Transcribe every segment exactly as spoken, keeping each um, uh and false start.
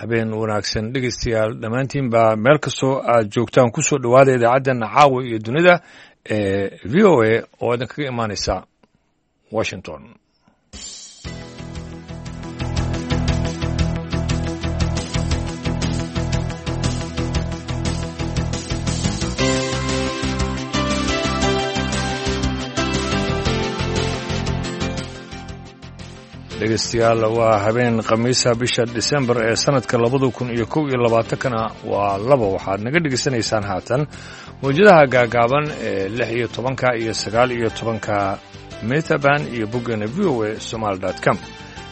Habeen wanaagsan dhegeystayaal dhammaantiinba meel kastoo aad joogtaan kusoo dhowaada idaacaddeena caawa iyo dunida ee V O A oo idinkaga imaaneysa Washington. Dhegeystayaal, waa habeen khamiisa, bisha Disembar ee sanadka labada kun iyo kow iyo labaatankana waa laba. Waxaad naga dhegeysanaysaan haatan mawjadaha gaagaaban ee lix iyo tobanka iyo sagaal iyo tobanka metaban iyo boggeena V O A somaali dot com.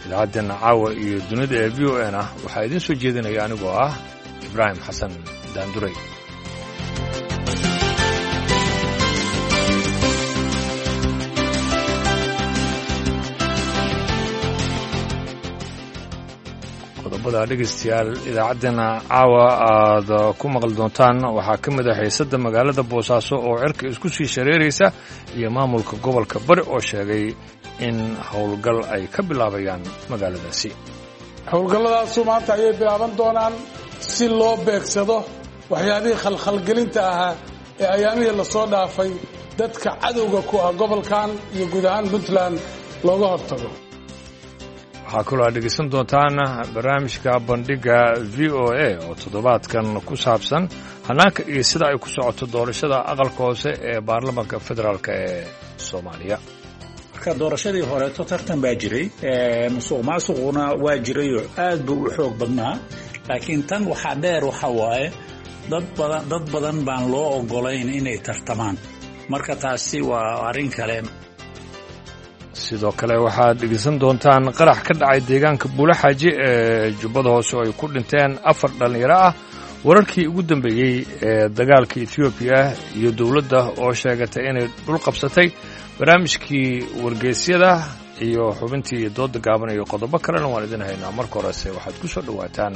Idaacaddeena caawa iyo dunida ee V O A na waxaa idiin soo jeedinaya anigoo ah Ibraahim Xasan Daanduray. Qodobada dhegeystayaal idaacaddeenna caawa aad ku maqli doontaan waxaa ka mid ah xiisadda magaalada Boosaaso oo cirka isku sii shareeraysa iyo maamulka gobolka Bari oo sheegay in howlgal ay ka bilaabayaan magaaladaasi. Howlgalladaasu maanta ayay bilaaban doonaan si loo beegsado waxyaabihii khalkhalgelinta ahaa ee ayaamihii lasoo dhaafay dadka cadowga ku ah gobolkan iyo guud ahaan Puntland looga hortago. Waxaa kaloo aad dhegeysan doontaan barnaamijka bandhigga V O A oo toddobaadkan ku saabsan hannaanka iyo sida ay ku socoto doorashada aqalka hoose ee baarlamaanka federaalk ee Soomaaliya. Marka doorashadii horeeto tartan baa jiray, musuq maasuquna waa jirayoo aad buu u xoog badnaa, laakiin tan waxaa dheer waxa waaye dad badan dad badan baan loo ogolayn inay tartamaan, marka taasi waa arrin kale. Sidoo kale waxaad dhegeysan doontaan qarax ka dhacay deegaanka Buulaxaaji ee Jubbada Hoose oo ay ku dhinteen afar dhallinyaro ah, wararkii ugu dambeeyey ee dagaalka Etoobiya iyo dowladda oo sheegatay inay dhul qabsatay, barnaamijkii wargeysyada iyo xubintii dooda gaaban iyo qodobo kalena waan idin haynaa. Marka horese waxaad ku soo dhowaataan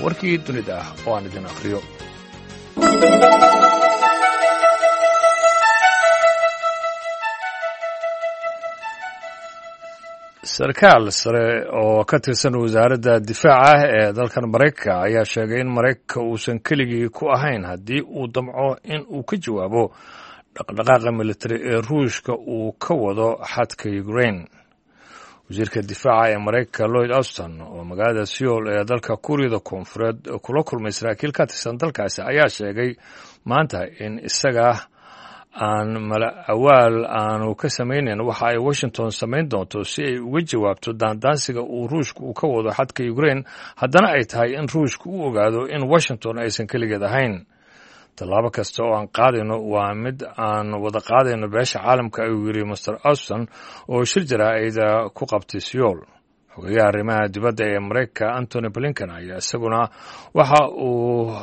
warkii dunida ah oo aan idin akhriyo. Sarkaal sare oo ka tirsan wasaaradda difaaca ee dalkan Maraykanka ayaa sheegay in Maraykanka uusan keligii ku ahayn haddii uu damco in uu ka jawaabo dhaqdhaqaaqa militari ee Ruushka uu ka wado xadka Ukraine. Wasiirka difaaca ee Maraykanka Lloyd Austin oo magaalada Seoul ee dalka Kuuriyada Koonfureed kula kulmay saraakiil ka tirsan dalkaasi ayaa sheegay maanta in isaga aan mala awaal aanu ka samaynayn waxa ay Washington samayn doonto si ay uga jawaabto daandaansiga uu Ruushka uu ka wado xadka Ukraine, haddana ay tahay in Ruushka u ogaado in Washington aysan keligeed ahayn. Tallaabo kasta oo aan qaadayno waa mid aan wada qaadayno beesha caalamka, ayuu yidhi Mister Austin oo shir jaraa'ida ku qabtay Seoul. Xogeyaha arrimaha dibadda ee Maraykanka Antony Blinken ayaa isaguna waxa uu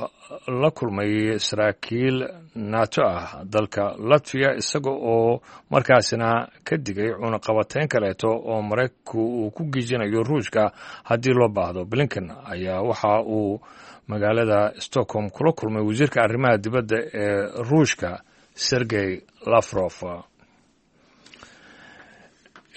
la kulmay saraakiil NATO ah dalka Latviya, isaga oo markaasina ka digay cunaqabateyn kaleeto oo Maraykanku uu ku giijinayo Ruushka haddii loo baahdo. Blinken ayaa waxa uu magaalada Stockholm kula kulmay wasiirka arrimaha dibadda ee Ruushka Sergey Lavrov.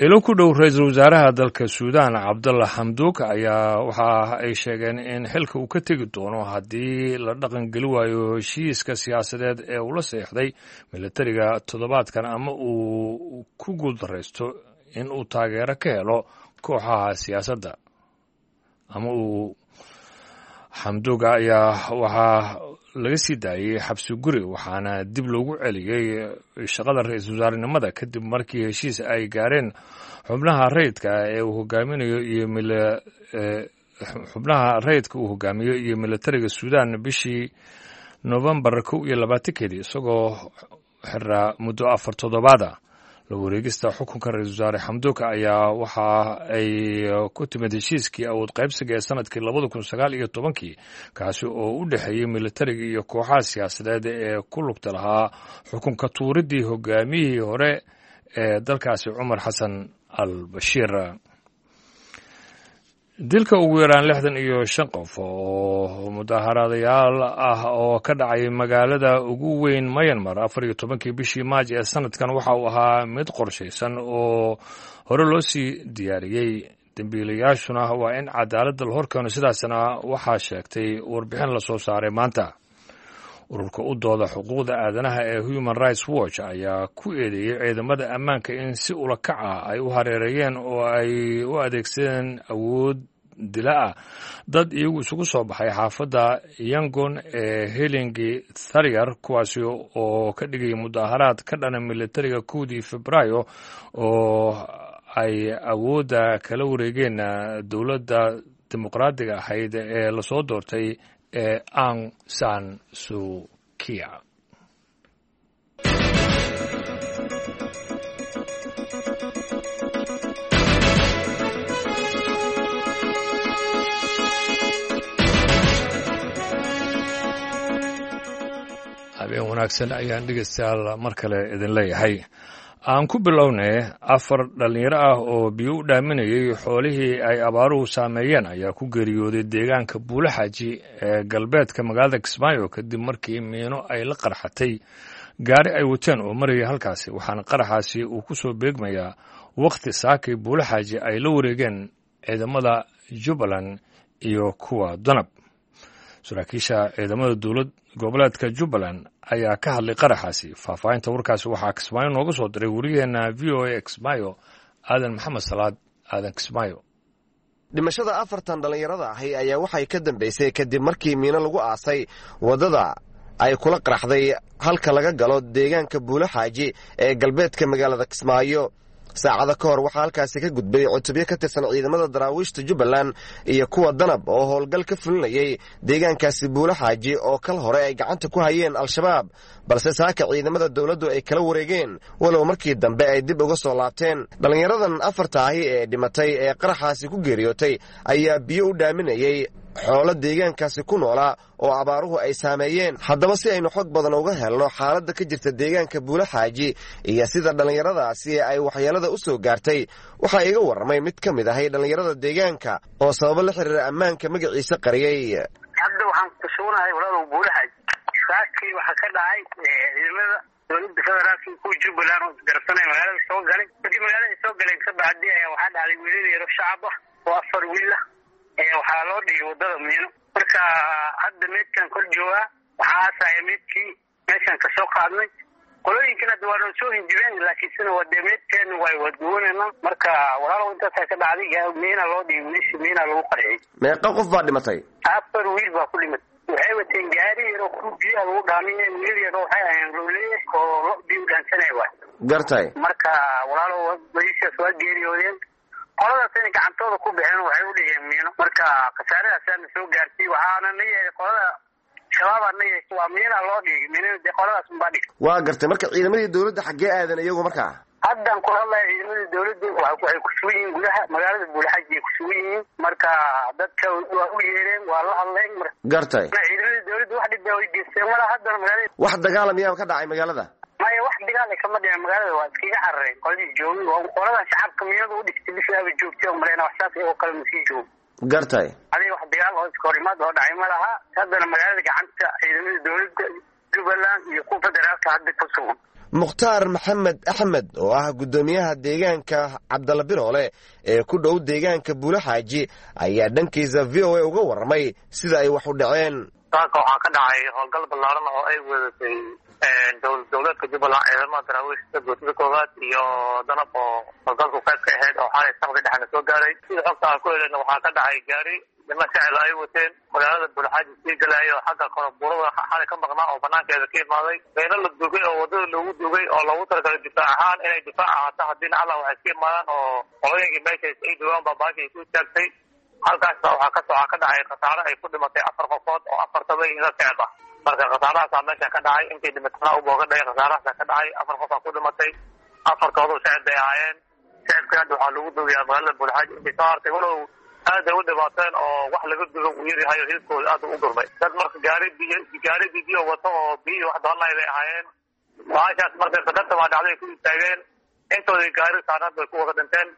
Ilo ku dhow ra-iisul wasaaraha dalka Suudaan Cabdalla Xamduuk ayaa waxa ay sheegeen in xilka uu ka tegi doono haddii la dhaqan geli waayo heshiiska siyaasadeed ee uu la seexday militariga toddobaadkan ama uu ku guuldaraysto in uu taageero ka helo kooxaha siyaasadda. Ama uu Xamduuga ayaa waxaa laga sii daayey xabsi guri, waxaana dib loogu celiyey shaqada ra-iisul wasaarenimada kadib markii heshiis ay gaareen xubnaha rayidka ee uu hogaaminayo iyo xubnaha rayidka uu hogaamiyo iyo militariga Suudaan bishii Novembar kow iyo labaatankeedii, isagoo xiraa muddo afar toddobaada. La wareegista xukunka ra-iisul wasaare Xamduuka ayaa waxa ay ku timid heshiiskii awood qaybsiga ee sanadkii labada kun sagaal iyo tobankii, kaasi oo u dhexeeyey militariga iyo kooxaha siyaasadeed ee ku lugta lahaa xukunka tuuridii hogaamiyihii hore ee dalkaasi Cumar Xasan al Bashiir. Dilka ugu yaraan lixdan iyo shan qof oo mudaharaadayaal ah oo ka dhacay magaalada ugu weyn Myanmar afar iyo tobankii bishii Maaj ee sanadkan waxa uu ahaa mid qorshaysan oo hore loo sii diyaariyey. Dembiilayaashuna waa in cadaaladda la horkeeno, sidaasna waxaa sheegtay warbixin lasoo saaray maanta. Ururka u dooda xuquuqda aadanaha ee Human Rights Watch ayaa ku eedeeyey ciidamada ammaanka in si ula kac ah ay u hareereeyeen oo ay u adeegsadeen awood dila ah dad iyagu isugu soo baxay xaafadda Yangon ee Helingi Tharyar, kuwaasi oo ka dhigaya mudaharaad ka dhana militariga kowdii Febraayo oo ay awoodda kala wareegeen dowladda dimuqraadiga ahayd ee lasoo doortay ee Aung San Suu Kyi. Habeen wanaagsan ayaan dhegeystayaal mar kale idin leeyahay. Aan ku bilownay, afar dhallinyaro ah oo biyo u dhaaminayay xoolihii ay abaaruhu saameeyeen ayaa ku geeriyooday deegaanka Buulaxaaji ee galbeedka magaalada Kismaayo, kadib markii miino ay la qarxatay gaari ay wateen oo marayay halkaasi. Waxaana qaraxaasi uu ku soo beegmayaa wakhti saakay Buulaxaaji ay la wareegeen ciidamada Jubbaland iyo kuwa Danab. Saraakiisha ciidamada dowlad goboleedka Jubbaland ayaa ka hadlay qaraxaasi. Faahfaahinta warkaasi waxaa Kismaayo nooga soo diray wariyaheena V O A Kismaayo, Aadan Maxamed Salaad Aadan Kismaayo. Dhimashada afartan dhallinyarada ahi ayaa waxay ka dambaysay kadib markii miino lagu aasay waddada ay kula qaraxday halka laga galo deegaanka Buulaxaaji ee galbeedka magaalada Kismaayo. Saacado ka hor waxaa halkaasi ka gudbay cutubyo ka tirsan ciidamada daraawiishta Jubbaland iyo kuwa Danab oo howlgal ka fulinayay deegaankaasi Buulaxaaji oo kal hore ay gacanta ku hayeen Al-Shabaab, balse saaka ciidamada dowladdu ay kala wareegeen, walow markii dambe ay dib uga soo laabteen. Dhallinyaradan afarta ahi ee dhimatay ee qaraxaasi ku geeriyootay ayaa biyo u dhaaminayay xoolo deegaankaasi ku noolaa oo abaaruhu ay saameeyeen. Haddaba si aynu xog badan uga helno xaaladda ka jirta deegaanka Buulaxaaji iyo sida dhallinyaradaasi ay waxyeelada u soo gaartay, waxaa iga warramay mid ka mid ahay dhallinyarada deegaanka oo sababo la xiriira ammaanka magaciisa qariyey. Hadda waxaan ku sugnahay walaalow Buulaxaaji. Saakii waxaa ka dhacay ciidamada dowladda federaalka kuwa Jubbaland oo isgarabsanaya magaalada soo galay. Markii magaalada soo galeen ka bacdi ayaa waxaa dhacday wiilal yaro shacab ah oo afar wiil ah waxaa loo dhigay waddada miino. Marka hadda meydkan kor joogaa, waxaa aasaya meydkii meeshaan kasoo qaadnay. Qolooyinkan hadda waa noo soo hinjibeen, laakiin sina waa dee meydkeena waay waa duwanayna. Marka walaalow intaasaa ka dhacday, miina loo dhigay wiilishi, miina lagu qarxiyey. Meeqa qof baa dhimatay? Afar wiil baa ku dhimatay. Waxay wateen gaari yaroo ku biyaha lagu dhaaminay, wiilal yaroo waxay aheen lowleye oo lo biyo u dhaansanaya waay. Gartay. Marka walaalow wiilashaas waa geeriyoodeen, qoladaas inay gacantooda ku baxeen waxay u dhigeen miino. Marka khasaaradaasana soo gaartay, waxaana na yeelay qolada Shabaabaa na yeeshay, waa miina loo dhigay miinada, dee qoladaas unbaa dhigtay. Waa gartay. Marka ciidamadii dowladda xaggee aadan iyagu markaa? Haddaan kula hadlaya ciidamadii dowladda waxay ku sugan yihiin gudaha magaalada Buulaxaaji ay ku sugan yihiin. Marka dadka waa u yeereen, waa la hadleen. Gartay. Ciidamadii dowladda wax dhib way geysteen mala haddana magaalada. Wax dagaala miyaa ka dhacay magaalada? Maya, wax dagaal kama dhicin magaalada, waa iskaga carareen qoladii joogay. Waa qoladan shacabka miinada u dhigtay bishaaba joogtay oo maleyna wax saas oo kale masii joogo. Gartay. Adiga wax dagaal oo iska horimaad oo dhacay ma laha. Haddana magaalada gacanta ciidamada dowladda Jubbaland iyo kuwa federaalka hadda ku sugan. Mukhtaar Maxamed Axmed oo ah guddoomiyaha deegaanka Cabdalla Biroole ee ku dhow deegaanka Buulaxaaji ayaa dhankiisa V O A uga warramay sida ay wax u dhaceen. Saaka waxaa ka dhacay howlgal ballaaran oo ay wadatay dowlad goboleedka Jubbaland, ciidamada daraawiishta guutada koowaad iyo Danab oo howlgalku qayb ka ahayd oo xalay saqdi dhexna soo gaaray. Sida xogta aan ku heleyna waxaa ka dhacay gaari niman shacil ay wateen magaalada Buulaxaaji sii galaayo xagga koronbuurada xalay ka maqnaa oo banaankeeda ka imaaday. Meelo la dugay oo waddada loogu dugay oo loogu talagalay difaac ahaan inay difaac ahaato haddii nacla waxay iska imaadaan oo qolooyinkii meesha ay dugaan baa baasha ay ku istaagtay. Halkaasna waxaa ka waxaa ka dhacay khasaare ay ku dhimatay afar qofood oo afartaba ina shacab ah. Marka khasaarahaasaa meesha ka dhacay, intay dhimatana u booga dhacay khasaarahaasaa ka dhacay, afar qof aa ku dhimatay, afartoodu shacab bay ahaayeen. Shacabkii hadda waxaa lagu dugayaa magaalada Buulaxaaji intay soo hartay, walow aad ay u dhibaateen oo wax laga dugo uu yaryahay oo hilibkooda aad u gurmay. Dad marka gaari biyo gaari biyo wato oo biyo wax doonay bay ahaayeen. Baashaas marka qadarta baa dhacday ku istaageen, intoodii gaari saarnaad bay ku wada dhinteen.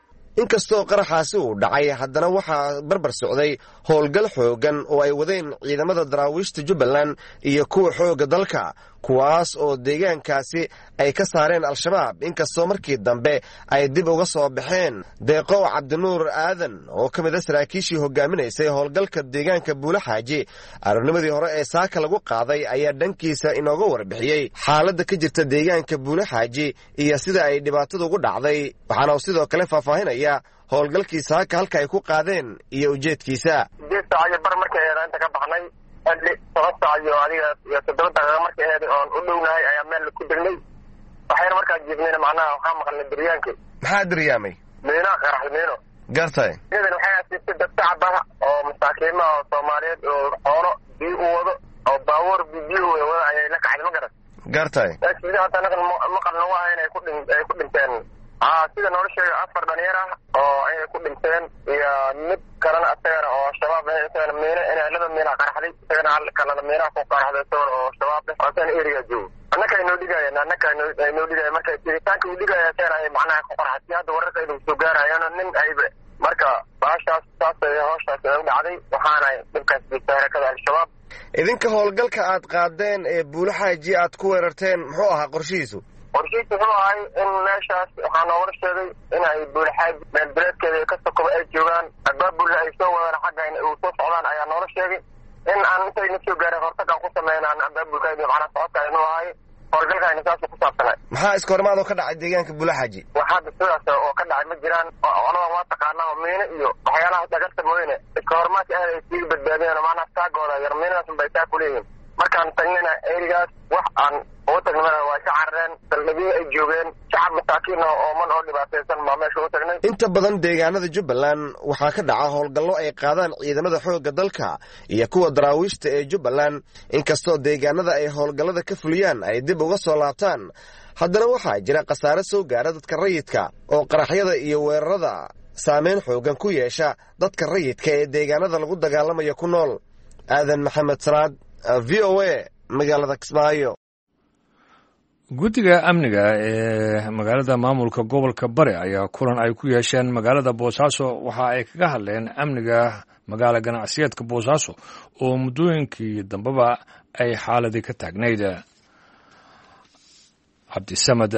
Inkastoo qaraxaasi uu dhacay, haddana waxaa barbar socday howlgal xooggan oo ay wadeen ciidamada daraawiishta Jubbaland iyo kuwa xoogga dalka, kuwaas oo deegaankaasi ay ka saareen Al-Shabaab, inkastoo markii dambe ay dib uga soo baxeen. Deeqow Cabdinuur Aadan oo ka mid a saraakiishii hogaaminaysay howlgalka deegaanka Buulaxaaji aroornimadii hore ee saaka lagu qaaday ayaa dhankiisa inooga warbixiyey xaaladda ka jirta deegaanka Buulaxaaji iyo sida ay dhibaatadu ugu dhacday, waxaana uu sidoo kale faahfaahinaya howlgalkii saaka halka ay ku qaadeen iyo ujeedkiisa. Sideed saac iyo bar markay aheed inta ka baxnay, xilli toban saac iyo adiga iyo toddoba daqiiqo markay aheed oon u dhownahay ayaa meel ku degnay. Waxayna markaa jiifnayna macnaha waxaa maqalnay diryaankii. Maxaa diryaamay? Miinaa qaraxday, miino. Gartay. Iyadan waxay asiibtay dad shacab ah oo masaakiimaha oo Soomaaliyeed oo xoolo biyo u wado oo baabuur biyo u wado ayay la kacday, ma garan. Gartay. Sida hadda anaga maqal nagu ah inay ku dhin ay ku dhinteen. Aa sida noola sheegay afar dhalinyar ah oo ayay ku dhinteen iyo mid kalena isagana oo Shabaab ah, isagana miino inay laba miina qaraxday, isagana hal kalena miinaha ku qaraxday isagana oo Shabaab ah oo isagana area joogo. Annaka ay noo dhigayeen, annaka ay noo dhigayeen marka jiritaanka uu dhigaya isagana ay macnaha ku qaraxday. Hadda wararka ay soo gaarayaan nin ay marka baashaas saas ay hawshaas ay u dhacday, waxaana dhibkaas jirta harakada Al-Shabaab. Idinka howlgalka aad qaadeen ee Buulaxaaji aad ku weerarteen muxuu ahaa qorshihiisu? Qorshihiisu wuxuu ahay in meeshaas waxaa noogala sheegay in ay Buulaxaaji meelbileedkeeda ka sokoba ay joogaan, abaabulna ay soo wadaan xagga uu soo socdaan ayaa noola sheegay. In aan intayna soo gaarin hortag aan ku sameynaan abaabulka iyo macnaha socodka aynu ahay howlgalka ayna saas ku saabsanay. Maxaa iska hormaad oo ka dhacay deegaanka Buulaxaaji? Wax hadda sidaas oo ka dhacay ma jiraan. Olada waa taqaanaa oo miino iyo waxyaalaha dhagarta mooyane iska hormaadka aad ay sii badbaadeen oo macnaha saagooda yar miinadaas unbay saa ku leeyihiin. Markaan tagnayna erigaas wax aan ugu tagnay waa ka carareen, saldhigyo ay joogeen shacab masaakiin ah oo man oo dhibaataysan baa meesha ugu tagnay. Inta badan deegaanada Jubbaland waxaa ka dhaca howlgallo ay qaadaan ciidamada xoogga dalka iyo kuwa daraawiishta ee Jubbaland, inkastoo deegaanada ay howlgallada ka fuliyaan ay dib uga soo laabtaan, haddana waxaa jira khasaare soo gaara dadka rayidka oo qaraxyada iyo weerarada saameyn xooggan ku yeesha dadka rayidka ee deegaanada lagu dagaalamayo ku nool. Aadan Maxamed Salaad, V O A, magaalada Kismaayo. Guddiga amniga ee magaalada maamulka gobolka Bari ayaa kulan ay ku yeesheen magaalada Boosaaso waxa ay kaga hadleen amniga magaala ganacsiyeedka Boosaaso oo muddooyinkii dambeba ay xaaladii ka taagnayd. Cabdisamad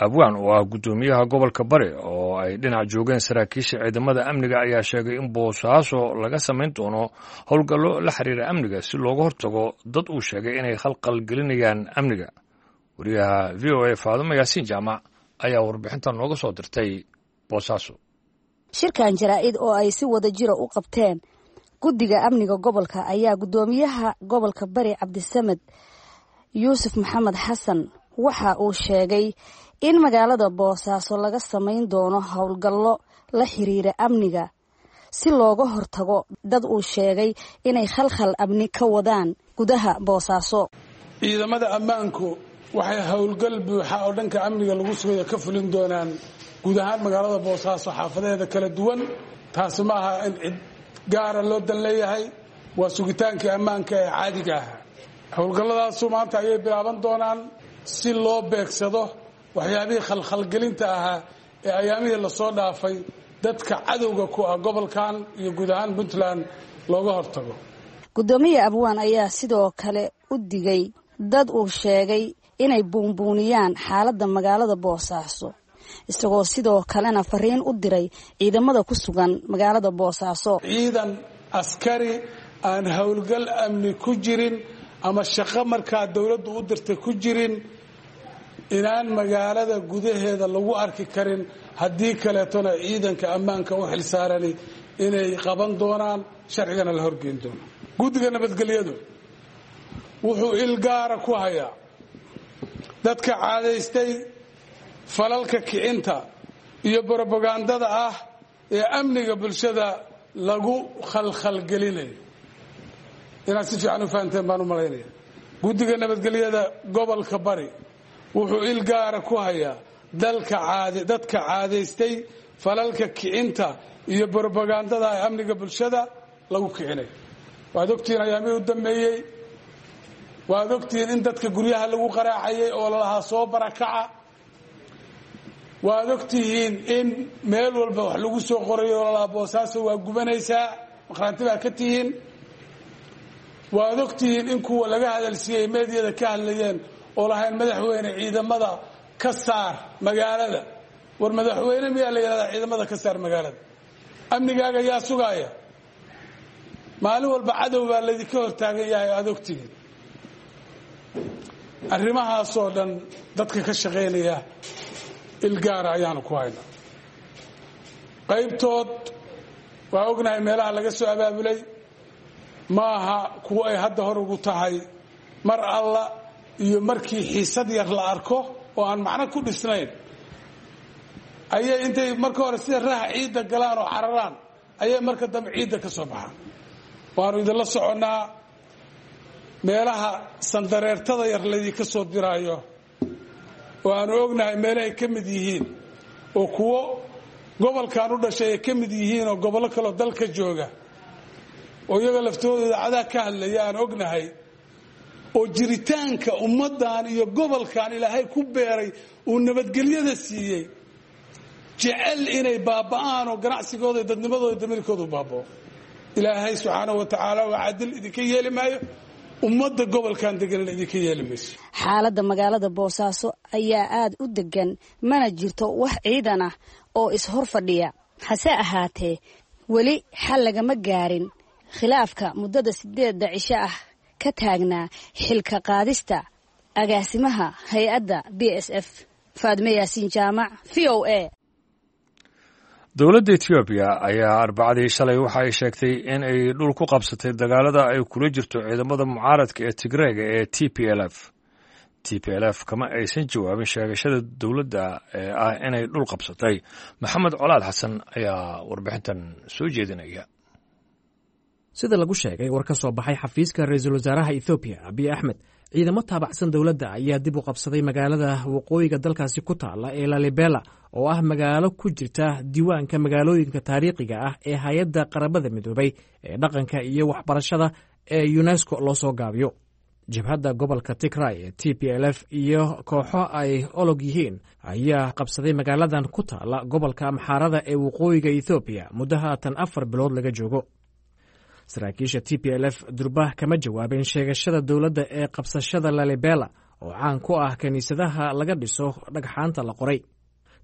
Abwaan oo ah guddoomiyaha gobolka Bari oo ay dhinac joogeen saraakiisha ciidamada amniga ayaa sheegay in Boosaaso laga samayn doono howlgallo la xiriira amniga si looga hortago dad uu sheegay inay khalqal gelinayaan amniga. Wariyaha V O A Faadumo Yaasiin Jaamac ayaa warbixintan nooga soo dirtay Boosaaso. Shirkan jaraa'id oo ay si wada jira u qabteen guddiga amniga gobolka ayaa guddoomiyaha gobolka Bari Cabdisamed Yuusuf Maxamed Xasan waxa uu sheegay in magaalada Boosaaso laga samayn doono howlgallo la xiriira amniga si looga hortago dad uu sheegay inay khalkhal amni ka wadaan gudaha Boosaaso. Ciidamada ammaanku waxay howlgal buuxa oo dhanka amniga lagu sugayo ka fulin doonaan guud ahaan magaalada Boosaaso xaafadaheeda kala duwan. Taasi ma aha in cid gaara loo dan leeyahay, waa sugitaankii ammaanka ee caadiga ahaa. Howlgalladaasu maanta ayay bilaaban doonaan si loo beegsado waxyaabihii khalkhalgelinta ahaa ee ayaamihii lasoo dhaafay dadka cadowga ku ah gobolkan iyo guud ahaan Puntland looga hortago. Guddoomiye Abwaan ayaa sidoo kale u digay dad uu sheegay inay buunbuuniyaan xaaladda magaalada Boosaaso, isagoo sidoo kalena fariin u diray ciidamada ku sugan magaalada Boosaaso. Ciidan askari aan howlgal amni ku jirin ama shaqo markaa dowladdu u dirtay ku jirin inaan magaalada gudaheeda lagu arki karin, haddii kaleetona ciidanka ammaanka u xilsaarani inay qaban doonaan, sharcigana la horgeyn doono. Guddiga nabadgelyadu wuxuu il gaara ku hayaa dadka caadaystay falalka kicinta iyo brobagandada ah ee amniga bulshada lagu khalkhalgelinayo. Inaad si fiican u fahanteen baan u malaynaya. Guddiga nabadgelyada gobolka Bari wuxuu il gaara ku hayaa dalka caade dadka caadaystay falalka kicinta iyo brobagandada ee amniga bulshada lagu kicinayo. Waad ogtihiin ayaamihii u dambeeyey, waad ogtihiin in dadka guryaha lagu qaraacayay oo lalahaa soo barakaca. Waad ogtihiin in meel walba wax lagu soo qorayo oo lalahaa Boosaaso waa gubanaysaa, maqraanti baa ka tihiin. Waad ogtihiin in kuwa laga hadalsiiyey meediyada ka hadlayeen oo lahayn madaxweyne ciidamada ka saar magaalada. War madaxweyne miyaa la yidhahdaa ciidamada ka saar magaalada? Amnigaaga yaa sugaaya? Maalin walba cadow baa laydinka hortaagan yahay, aad ogtihiin. Arrimahaasoo dhan dadka ka shaqaynaya ilgaara ayaanu ku haynaa. Qaybtood waa ognahay meelaha laga soo abaabulay, ma aha kuwo ay hadda hor ugu tahay. Mar alla iyo markii xiisad yar la arko oo aan macno ku dhisnayn ayay intay marka hore sida raha ciidda galaan oo cararaan ayay marka dambe ciidda ka soo baxaan. Waanu idinla soconnaa meelaha sandareertada yar laydinka soo diraayo, oo aanu ognahay meelahay ka mid yihiin, oo kuwo gobolkan u dhashay ay ka mid yihiin oo gobollo kaloo dalka jooga oo iyaga laftooda idaacadaha ka hadlaya aan ognahay, oo jiritaanka ummaddan iyo gobolkan Ilaahay ku beeray uu nabadgelyada siiyey jecel inay baaba'aan oo ganacsigooda iyo dadnimadooda damirkoodu baaba'o. Ilaahay subxaanahu wa tacaala waa cadil, idinka yeeli maayo. Ummadda gobolkan deganna idinka yeeli mayso. Xaaladda magaalada Boosaaso ayaa aada u degan, mana jirto wax ciidan ah oo is-hor fadhiya. Hase ahaatee weli xal lagama gaarin khilaafka muddada sideedda cisho ah ka taagnaa xilka qaadista agaasimaha hay-adda B S F. Faadme Yaasiin Jaamac, V O A. Dowladda Etoobiya ayaa Arbacadii shalay waxa ay sheegtay in ay dhul ku qabsatay dagaalada ay kula jirto ciidamada mucaaradka ee Tigreega ee T P L F. T P L F kama aysan jawaabin sheegashada dowladda ee ah inay dhul qabsatay. Maxamed Colaad Xasan ayaa warbixintan soo jeedinaya. Sida lagu sheegay war ka soo baxay xafiiska ra-iisul wasaaraha Ethoobiya Abiy Axmed, ciidamo taabacsan dowladda ayaa dib u qabsaday magaalada waqooyiga dalkaasi ku taala ee Lalibela, oo ah magaalo ku jirta diiwaanka magaalooyinka taariikhiga ah ee hay-adda Qaramada Midoobay ee dhaqanka iyo waxbarashada ee UNESCO loo soo gaabiyo. Jabhadda gobolka Tigray ee T P L F iyo kooxo ay olog yihiin ayaa qabsaday magaaladan ku taala gobolka Amxaarada ee waqooyiga Ethoobiya muddo haatan afar bilood laga joogo. Saraakiisha T P L F durbah kama jawaabin sheegashada dowladda ee qabsashada Lalibela, oo caan ku ah kiniisadaha laga dhiso dhagxaanta la qoray.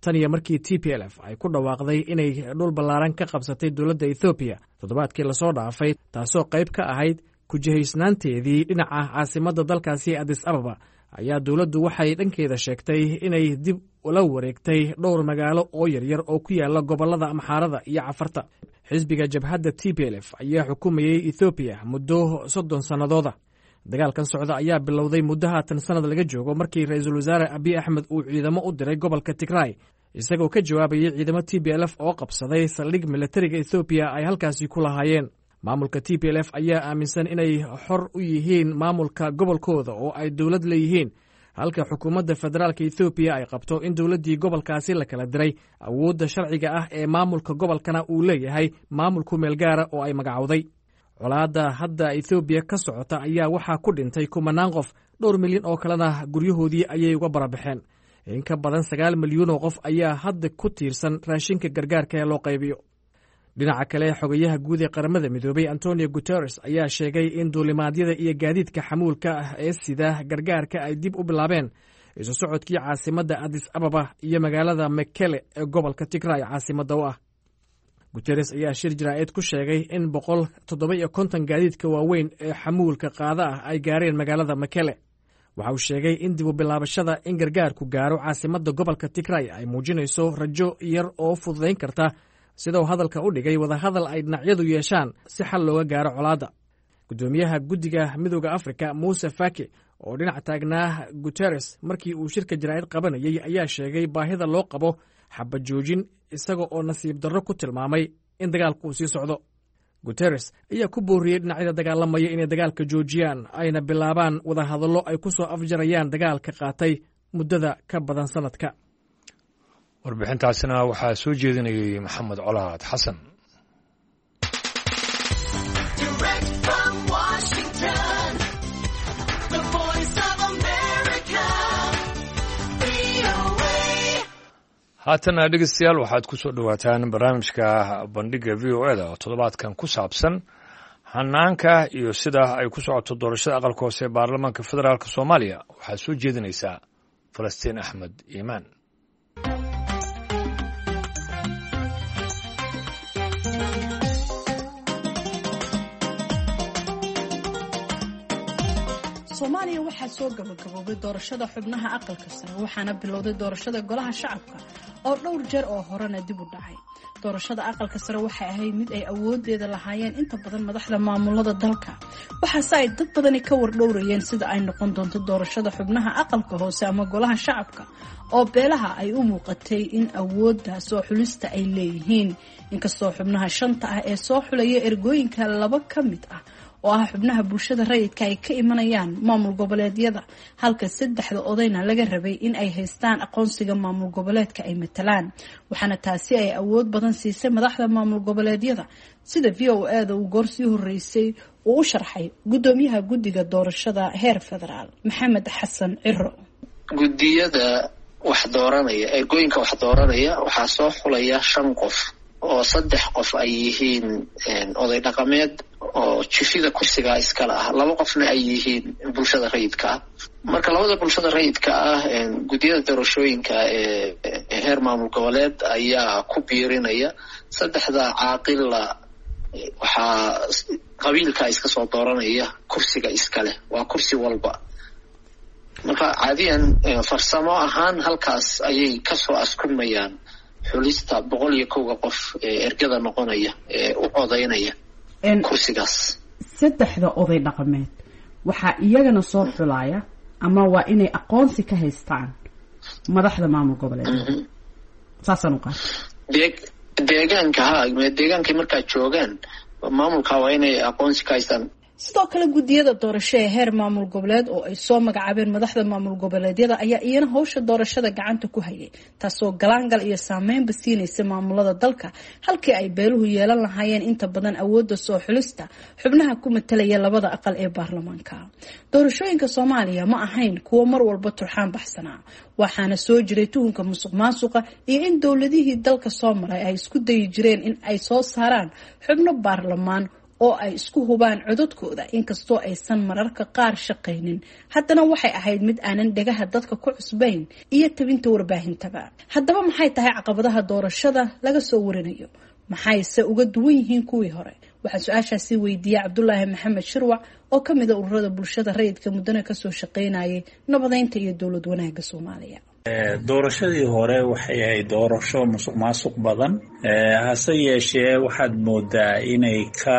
Tan iyo markii T P L F ay ku dhawaaqday inay dhul ballaaran ka qabsatay dowladda Ethoobiya toddobaadkii lasoo dhaafay, taasoo qayb ka ahayd kujihaysnaanteedii dhinaca caasimadda dalkaasi Addis Ababa, ayaa dowladdu waxay dhankeeda sheegtay inay dib ula wareegtay dhowr magaalo oo yaryar oo ku yaala gobollada Amxaarada iyo Cafarta. Xisbiga jabhadda T P L F ayaa xukumayey Ethoobiya muddo soddon sannadooda. Dagaalkan socda ayaa bilowday muddo haatan sanad laga joogo markii ra-iisul wasaare Abiy Axmed uu ciidamo u diray gobolka Tigray, isagoo ka jawaabayay ciidamo T P L F oo qabsaday saldhig militariga Ethoobiya ay halkaasi ku lahaayeen. Maamulka T P L F ayaa aaminsan inay xor u yihiin maamulka gobolkooda oo ay dowlad leeyihiin, halka xukuumadda federaalka Ethoobiya ay qabto in dowladdii gobolkaasi la kala diray, awoodda sharciga ah ee maamulka gobolkana uu leeyahay maamul ku meel gaara oo ay magacowday. Colaadda hadda Ethoobiya ka socota ayaa waxaa ku dhintay kumanaan qof, dhowr milyan oo kalena guryahoodii ayay uga barabaxeen. In ka badan sagaal milyuun oo qof ayaa hadda ku tiirsan raashinka gargaarka ee loo qaybiyo. Dhinaca kale, xogayaha guud ee Qaramada Midoobay Antonio Guterres ayaa sheegay in duulimaadyada iyo gaadiidka xamuulka ah ee sida gargaarka ay dib u bilaabeen isu socodkii caasimadda Addis Ababa iyo magaalada Mekele ee gobolka Tigray caasimadda u ah. Guterres ayaa shir jaraa'id ku sheegay in boqol toddoba iyo konton gaadiidka waaweyn ee xamuulka qaada ah ay gaareen magaalada Mekele. Waxa uu sheegay in dib u bilaabashada in gargaarku gaaro caasimadda gobolka Tigray ay muujinayso rajo yar oo fududayn karta, sida uu hadalka u dhigay, wadahadal ay dhinacyadu yeeshaan si xal looga gaaro colaadda. Guddoomiyaha guddiga Midooda Afrika Muuse Faki, oo dhinac taagnaa Guterres markii uu shirka jaraa'id qabanayay, ayaa sheegay baahida loo qabo xabad joojin, isaga oo nasiib darro ku tilmaamay in dagaalku uu sii socdo. Guterres ayaa ku booriyey dhinacyada dagaalamaya inay dagaalka joojiyaan ayna bilaabaan wadahadallo ay ku soo afjarayaan dagaalka qaatay muddada ka badan sanadka. Warbixintaasina waxaa soo jeedinayay Maxamed Colaad Xasan. Direct from Washington, the Voice of America, V O A. Haatana dhegeystayaal, waxaad ku soo dhowaataan barnaamijka Bandhiga V O E da oo toddobaadkan ku saabsan Hanaanka iyo sida ay ku socoto doorashada aqalka hoose ee baarlamaanka federaalk Soomaaliya waxaa soo jeedinaysaa Falastiin Axmed Iimaan. Soomaaliya waxaa soo gabagaboobay doorashada xubnaha aqalka sare, waxaana bilowday doorashada golaha shacabka oo dhowr jeer oo horena dib u dhacay. Doorashada aqalka sare waxay ahayd mid ay awoodeeda lahaayeen inta badan madaxda maamulada dalka, waxaase ay dad badani ka wardhowrayeen sida ay noqon doonto doorashada xubnaha aqalka hoose ama golaha shacabka oo beelaha ay u muuqatay in awoodda soo xulista ay leeyihiin. Inkastoo xubnaha shanta ah ee soo xulaya ergooyinka laba ka mid ah oo ah xubnaha bulshada rayidka ay ka imanayaan maamul goboleedyada, halka saddexda odayna laga rabay in ay haystaan aqoonsiga maamul goboleedka ay matalaan, waxaana taasi ay awood badan siisay madaxda maamul goboleedyada, sida V O A da uu goor sii horeysay uu u sharxay gudoomiyaha guddiga doorashada heer federaal Maxamed Xasan Ciro. Guddiyada wax dooranaya, ergooyinka wax dooranaya, waxaa soo xulaya shan qof oo saddex qof ay yihiin oday dhaqameed oo jifida kursigaa iskale ah, laba qofna ay yihiin bulshada rayidka ah. Marka labada bulshada rayidka ah guddiyada doorashooyinka ee heer maamul goboleed ayaa ku biirinaya. Saddexda caaqila waxaa qabiilka iska soo dooranaya kursiga iskaleh, waa kursi walba. Marka caadiyan farsamo ahaan halkaas ayay kasoo askurmayaan xulista boqol iyo kowga qof ee ergada noqonaya ee u codaynaya kursigaas. Saddexda oday dhaqameed waxaa iyagana soo xulaya ama waa inay aqoonsi ka haystaan madaxda maamul goboleed, saasaan u qaata. Dee deegaanka ha deegaankay markaa joogaan maamulka waa inay aqoonsi ka haystaan. Sidoo kale guddiyada doorasho ee heer maamul goboleed oo ay soo magacaabeen madaxda maamul goboleedyada ayaa iyana howsha doorashada gacanta ku hayay, taasoo galaangal iyo saameynba siinaysa maamulada dalka, halkii ay beeluhu yeelan lahaayeen inta badan awoodda soo xulista xubnaha ku matalaya labada aqal ee baarlamaanka. Doorashooyinka Soomaaliya ma ahayn kuwo mar walba turxaan baxsanaa, waxaana soo jiray tuhunka musuq maasuqa iyo in dowladihii dalka soo maray ay isku dayi jireen in ay soo saaraan xubno baarlamaan oo ay isku hubaan codadkooda, inkastoo aysan mararka qaar shaqaynin. Haddana waxay ahayd mid aanan dhegaha dadka ku cusbayn iyo tabinta warbaahintaba. Haddaba maxay tahay caqabadaha doorashada laga soo warinayo? Maxayse uga duwan yihiin kuwii hore? Waxaa su-aashaasi weydiiyey Cabdulaahi Maxamed Shirwac oo ka mid a ururada bulshada rayidka muddana kasoo shaqaynayay nabadeynta iyo dowlad wanaagga Soomaaliya. Doorashadii hore waxay ahayd doorasho musuq maasuq badan, hase yeeshee waxaad moodaa inay ka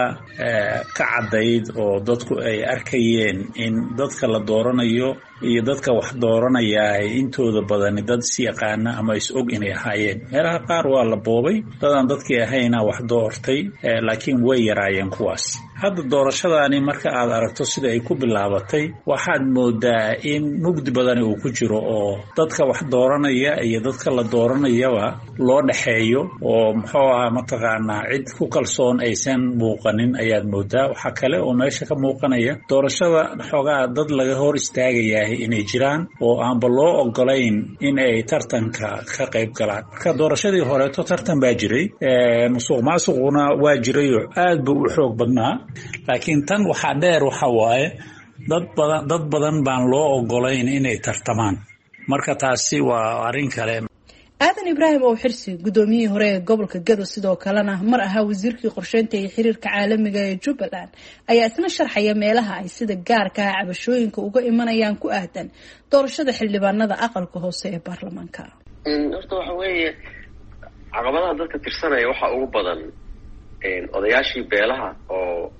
ka caddayd oo dadku ay arkayeen in dadka la dooranayo iyo dadka wax dooranaya ay intooda badani dad is yaqaana ama is og inay ahaayeen. Meelaha qaar waa la boobay, dadaan dadkii ahayna wax doortay, laakiin way yaraayeen kuwaas. Hadda doorashadaani marka aad aragto sida ay ku bilaabatay, waxaad moodaa in mugdi badani uu ku jiro oo dadka wax dooranaya iyo dadka la dooranayaba loo dhexeeyo oo muxuu ahaa mataqaanaa cid ku kalsoon aysan muuqanin ayaad moodaa. Waxaa kale oo meesha ka muuqanaya doorashada xoogaa dad laga hor istaagayahay inay jiraan oo aanba loo ogolayn in ay tartanka ka qayb galaan. Marka doorashadii horeeto tartan baa jiray, musuq maasuquna waa jiray oo aad buu u xoog badnaa, laakiin tan waxaa dheer waxa waaye dad badan dad badan baan loo ogolayn inay tartamaan. Marka taasi waa arrin kale. Aadan Ibraahim oo Xirsi, gudoomiyihii hore ee gobolka Gado, sidoo kalena mar ahaa wasiirkii qorsheynta iyo xiriirka caalamiga ee Jubbaland, ayaa isna sharxaya meelaha ay sida gaarka ah cabashooyinka uga imanayaan ku aadan doorashada xildhibaanada aqalka hoose ee baarlamaanka. Horta waxa weeye caqabadaha dadka tirsanaya waxaa ugu badan odayaashii beelaha oo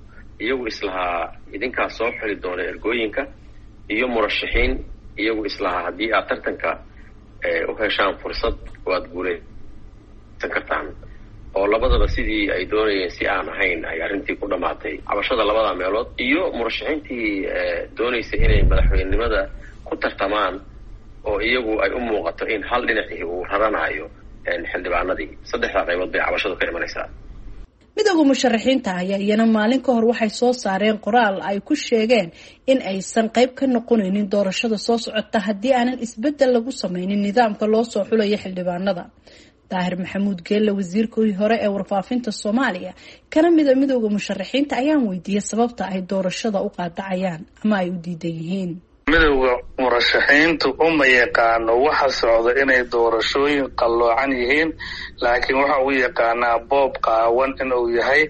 iyagu islahaa idinkaa soo xuli doona ergooyinka, iyo murashaxiin iyagu islahaa haddii aad tartanka u heshaan fursad waad guulaysan kartaan, oo labadaba sidii ay doonayeen si aan ahayn ay arrintii ku dhammaatay. Cabashada labada meelood iyo murashaxiintii doonaysa inay madaxweynenimada ku tartamaan oo iyagu ay u muuqato in hal dhinacii uu raranayo xildhibaanadii. Saddexdaa qaybood bay cabashadu ka imanaysaa. Midowda musharaxiinta ayaa iyana maalin ka hor waxay soo saareen qoraal ay ku sheegeen in aysan qayb ka noqonaynin doorashada soo socota haddii aanan isbeddel lagu sameynin nidaamka loo soo xulayo xildhibaanada. Daahir Maxamuud Geelle, wasiirkii hore ee warfaafinta Soomaaliya kana mida midowda musharaxiinta, ayaan weydiiyey sababta ay doorashada u qaadacayaan ama ay u diidan yihiin. Midowda murashaxiintu uma yaqaano waxa socda inay doorashooyin qalloocan yihiin, laakiin waxa uu yaqaanaa boob qaawan inuu yahay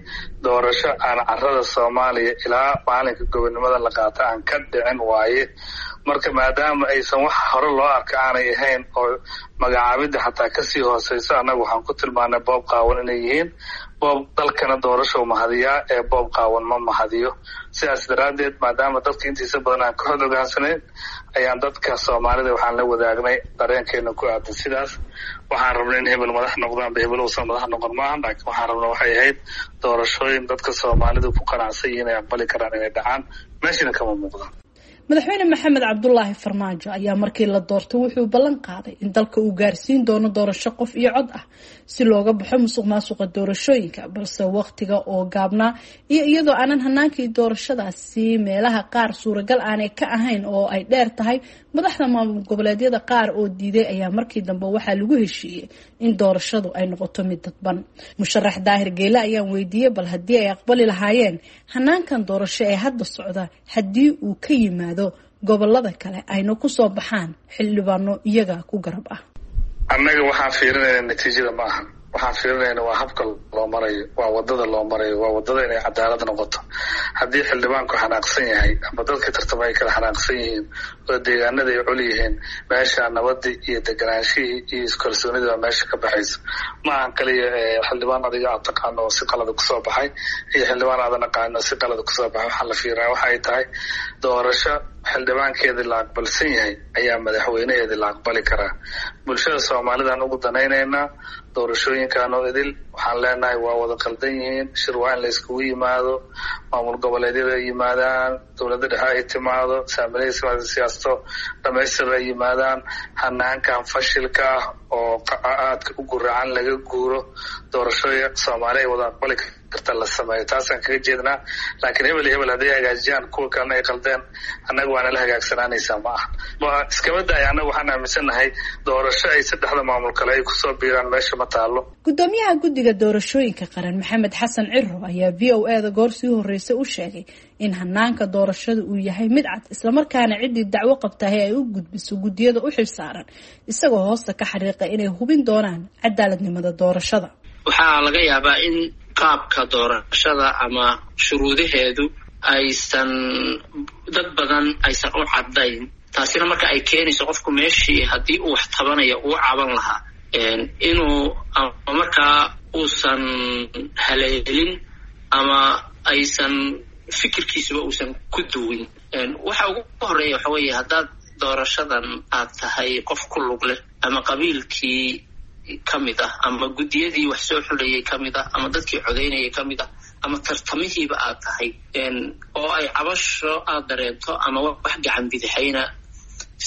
doorasho aan carada Soomaaliya ilaa maalinka gobonimada la qaata aan ka dhicin waaye. Marka maadaama aysan wax hore loo arka aanay ahayn oo magacaabidda xataa kasii hooseyso, annaga waxaan ku tilmaanay boob qaawan inay yihiin. Boob dalkana doorasho mahadiyaa ee boob qaawan ma mahadiyo. Sidaas daraaddeed, maadaama dadka intiisa badan aan ka xod ogaansanayn, ayaan dadka Soomaalida waxaan la wadaagnay dareenkeena ku aadan sidaas. Waxaan rabnay in hebel madax noqdaan ba hebel uusan madax noqon maaha, laakiin waxaan rabnay waxay ahayd doorashooyin dadka Soomaalidu ku qanacsan yihiin ay aqbali karaan inay dhacaan, meeshina kama muuqdaan. Madaxweyne Maxamed Cabdulaahi Farmaajo ayaa markii la doortay wuxuu ballan qaaday in dalka uu gaarsiin doono doorasho qof iyo cod ah si looga baxo musuq maasuqa doorashooyinka, balse waqtiga oo gaabnaa iyo iyadoo aanan hanaankii doorashadaasi meelaha qaar suuragal aanay ka ahayn oo ay dheer tahay madaxda maamul goboleedyada qaar oo diiday, ayaa markii dambe waxaa lagu heshiiyey in doorashadu ay noqoto mid dadban. Musharax Daahir Geele ayaan weydiiyey bal haddii ay aqbali lahaayeen hanaankan doorasho ee hadda socda haddii uu ka yimaado gobolada kale ayna kusoo baxaan xildhibaano iyaga ku garab ah. Annaga waxaan fiirinayna natiijada ma ahan, waxaan fiirinayna waa habka loo marayo, waa wadada loo marayo, waa wadada inay cadaalad noqoto. Haddii xildhibaanku xanaaqsan yahay ama dadka tartama ay kala xanaaqsan yihiin oo deegaanada ay col yihiin, meesha nabadii iyo deganaanshihii iyo iskalsoonidii baa meesha ka baxaysa. Ma ahan kaliya xildhibaan adiga aad taqaano oo si qalada kusoo baxay iyo xildhibaan aadan aqaanin oo si qalada kusoo baxay. Waxaa la fiirinaya waxa ay tahay doorasho xildhibaankeedii la aqbalsan yahay ayaa madaxweynaheedii la aqbali karaa. Bulshada Soomaalidaan ugu danaynaynaa doorashooyinkan oo idil waxaan leenahay waa wada qaldan yihiin. Shir waa in la iskugu yimaado, maamul goboleedyada ay yimaadaan, dowladda dhexe ay timaado, saamilada siyaasato dhamaystir ay yimaadaan, hanaankan fashilka ah oo aadka u guracan laga guuro, doorashooyin Soomaali ay wada aqbali karta la sameeyo. Taasaan kaga jeednaa. Laakiin hebel iyo hebel hadday hagaajiyaan kuwa kalena ay qaldeen, annaga waana la hagaagsanaanaysaa ma aha. Waa iskaba daaya, annaga waxaan aaminsannahay doorasho ay saddexda maamul kale ay kusoo biiraan meesha ma taalo. Gudoomiyaha guddiga doorashooyinka qaran Maxamed Xasan Ciro ayaa V O A da goor sii horeysay u sheegay in hanaanka doorashada uu yahay mid cad, islamarkaana ciddii dacwo qabtahay ay u gudbiso guddiyada u xilsaaran, isagoo hoosta ka xariiqa inay hubin doonaan cadaaladnimada doorashada. Waxaa laga yaabaa in qaabka doorashada ama shuruudaheedu aysan dad badan aysan u caddayn, taasina marka ay keenayso qofku meeshii haddii uu wax tabanayo uu caban lahaa inuu ama markaa uusan haleelin ama aysan fikirkiisuba uusan ku duwin. Waxa ugu horeeya waxa weeye haddaad doorashadan aad tahay qof ku lug leh ama qabiilkii ka mid ah ama guddiyadii wax soo xulayay ka mid ah ama dadkii codaynayay ka mid ah ama tartamihiiba aad tahay oo ay cabasho aad dareento ama wax gacan bidixayna,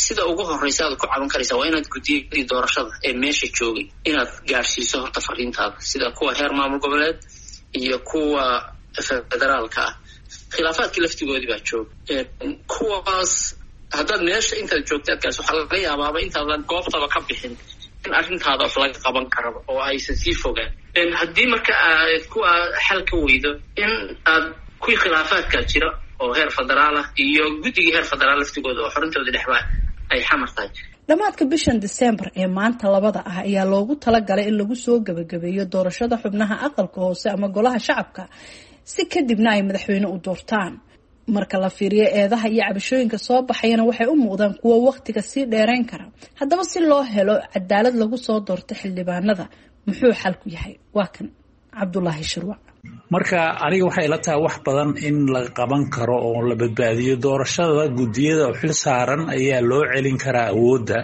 sida ugu horreysa aad ku caban karaysaa waa inaad guddiyadii doorashada ee meesha joogay inaad gaadhsiiso horta fariintaada, sida kuwa heer maamul goboleed iyo kuwa federaalka ah. Khilaafaadkii laftigoodii baa jooga kuwaas. Haddaad meesha intaad joogta aad gaarso, waxaa laga yaabaaba intaadan goobtaba ka bixin in arrintaada wax laga qaban karaba oo aysan sii fogaan. Haddii marka aad kuwa xal ka weydo, in aad kuwii khilaafaadkaa jira oo heer federaal ah iyo guddigii heer federaal laftigooda oo xorintooda dhexba ay xamar tahay. Dhammaadka bishan Diseembar ee maanta labada ah ayaa loogu talagalay in lagu soo gabagabeeyo doorashada xubnaha aqalka hoose ama golaha shacabka, si kadibna ay madaxweyne u doortaan. Marka la fiiriyo eedaha iyo cabashooyinka soo baxayana waxay u muuqdaan kuwo waqtiga sii dheereyn kara. Haddaba si loo helo cadaalad lagu soo doorto xildhibaanada, muxuu xalku yahay? Waa kan Cabdulaahi Shirwac. Marka aniga waxay ila tahay wax badan in la qaban karo oo la badbaadiyo doorashada. Guddiyada oo xil saaran ayaa loo celin karaa awoodda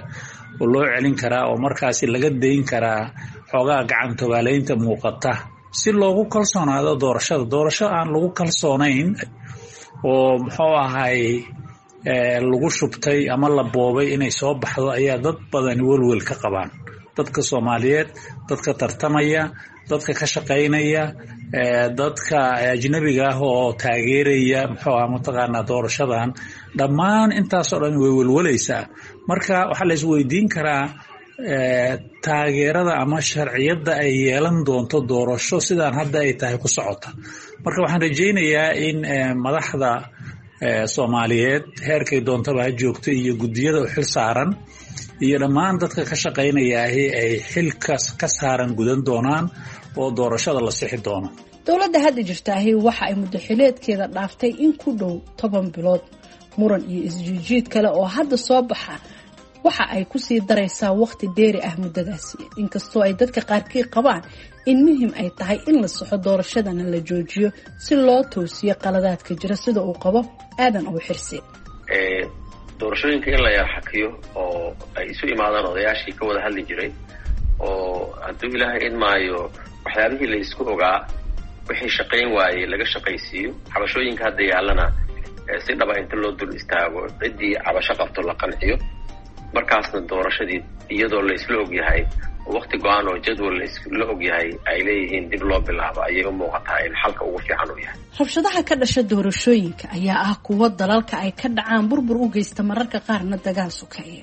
oo loo celin karaa oo markaasi laga dayn karaa xoogaa gacantobaaleynta muuqata si loogu kalsoonaado doorashada. Doorasho aan lagu kalsoonayn oo muxuu ahay lagu shubtay ama la boobay inay soo baxdo ayaa dad badani welwel ka qabaan. Dadka Soomaaliyeed, dadka tartamaya, dadka ka shaqaynaya, dadka ajnabiga ah oo taageeraya muxuu aha mataqaanaa doorashadan, dhammaan intaasoo dhan way welwalaysaa. Marka waxaa la isweydiin karaa Taageerada ama sharciyadda ay yeelan doonto doorasho sidaan hadda ay tahay ku socota. Marka waxaan rajaynayaa in madaxda Soomaaliyeed heerkay doontaba ha joogto iyo guddiyada u xil saaran iyo dhammaan dadka ka shaqaynayaahi ay xilka ka saaran gudan doonaan oo doorashada la sixi doono. Dowladda hadda jirtaahi waxa ay muddo xileedkeeda dhaaftay in ku dhow toban bilood. Muran iyo isjiijiid kale oo hadda soo baxa waxa ay kusii daraysaa waqti dheeri ah muddadaasi, inkastoo ay dadka qaarkii qabaan in muhim ay tahay in la saxo doorashadana la joojiyo si loo toosiyo qaladaadka jira, sida uu qabo Aadan oo Xirsi. Doorashooyinka in la yar xakiyo oo ay isu imaadaan odayaashii ka wada hadli jiray, oo hadduu Ilaahay idmaayo waxyaabihii la isku ogaa wixii shaqayn waayey laga shaqaysiiyo, cabashooyinka hadda yaallana si dhaba inta loo dul istaago ciddii cabasho qabto la qanciyo, markaasna doorashadii iyadoo la isla ogyahay oo waqti go-aan oo jadwal la ogyahay ay leeyihiin dib loo bilaabo ayay u muuqataa in xalka ugu fiican uu yahay. Rabshadaha ka dhasha doorashooyinka ayaa ah kuwo dalalka ay ka dhacaan burbur u geysta, mararka qaarna dagaal sokeeye.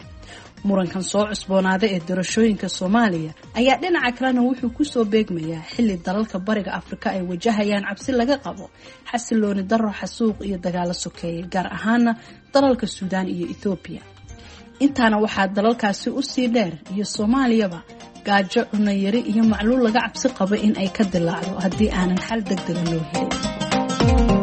Murankan soo cusboonaaday ee doorashooyinka Soomaaliya ayaa dhinaca kalena wuxuu kusoo beegmayaa xilli dalalka Bariga Afrika ay wajahayaan cabsi laga qabo xasilooni darro, xasuuq iyo dagaalo sokeeye, gaar ahaana dalalka Suudaan iyo Ethoobiya. Intaana waxaa dalalkaasi usii dheer iyo Soomaaliyaba gaajo, cunayari iyo macluul laga cabsi qabo in ay ka dilaacdo haddii aanan xal degdega loo helin.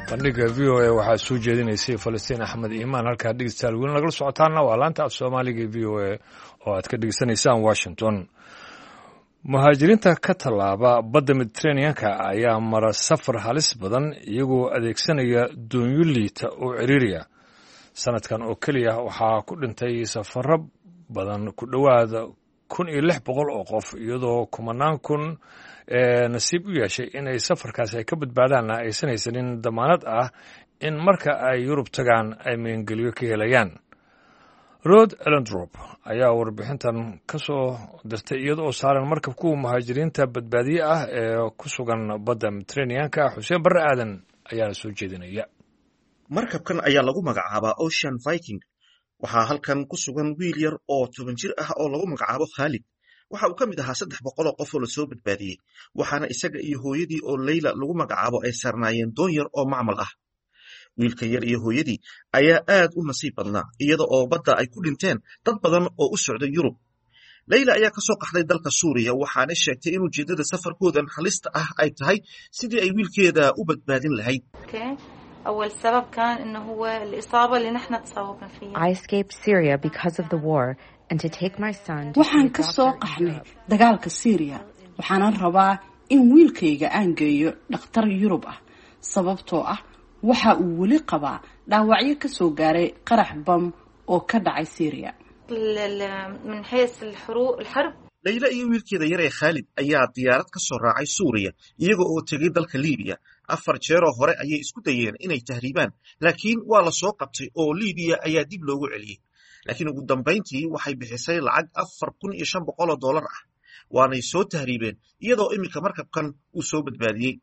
Bandhiga V O A waxaa soo jeedinaysay Falastiin Axmed Iimaan. Halkaa dhegeystayaal weli nagala socotaana waa laanta af Soomaaliga V O A oo aad ka dhegeysanaysaan Washington. Muhaajiriinta ka tallaaba badda Mediteraneanka ayaa mara safar halis badan iyagoo adeegsanaya doonyo liita oo ciriiriya. Sanadkan oo keliya waxaa ku dhintay safaro badan ku dhowaada kun iyo lix boqol oo qof, iyadoo kumanaan kun ee nasiib u yeeshay inay safarkaasi ay ka badbaadaanna aysan haysanin damaanad ah in marka ay Yurub tagaan ay meengeliyo ka helayaan. Rod Elendrop ayaa warbixintan ka soo dirtay iyada oo saaran markab kuwa muhaajiriinta badbaadiye ah ee ku sugan badda Mediteraneanka. Xuseen Barre Aadan ayaana soo jeedinaya. Markabkan ayaa lagu magacaabaa Ocean Viking. Waxaa halkan ku sugan wiil yar oo toban jir ah oo lagu magacaabo Khaalid. Waxa uu ka mid ahaa saddex boqol oo qof oo lasoo badbaadiyey, waxaana isaga iyo hooyadii oo Leyla lagu magacaabo ay saarnaayeen doon yar oo macmal ah. Wiilka yar iyo hooyadii ayaa aad u nasiib badnaa, iyada oo badda ay ku dhinteen dad badan oo u socday Yurub. Leyla ayaa kasoo qaxday dalka Suuriya, waxaana sheegtay in ujeeddada safarkoodan halista ah ay tahay sidii ay wiilkeeda u badbaadin lahayd. أول سبب كان إنه هو الإصابة اللي نحن تصاوبنا فيها. I escaped Syria because of the war and to take my son to Waxaan ka soo qaxnay dagaalka Syria, waxaanan rabaa in wiilkayga aan geeyo dhakhtar Yurub ah, sababtoo ah waxa uu weli qabaa dhaawacyo ka soo gaaray qarax bam oo ka dhacay Syria. من حيث الحروب الحرب. Leyla iyo wiilkeeda yar ee Khaalid ayaa diyaarad ka soo raacay Suuriya iyaga oo tegay dalka Liibiya. Afar jeeroo hore ayay isku dayeen inay tahriibaan, laakiin waa la soo qabtay oo Liibiya ayaa dib loogu celiyey. Laakiin ugu dambayntii waxay bixisay lacag afar kun iyo shan boqol oo dollar ah, waanay soo tahriibeen iyadoo iminka markabkan uu soo badbaadiyey.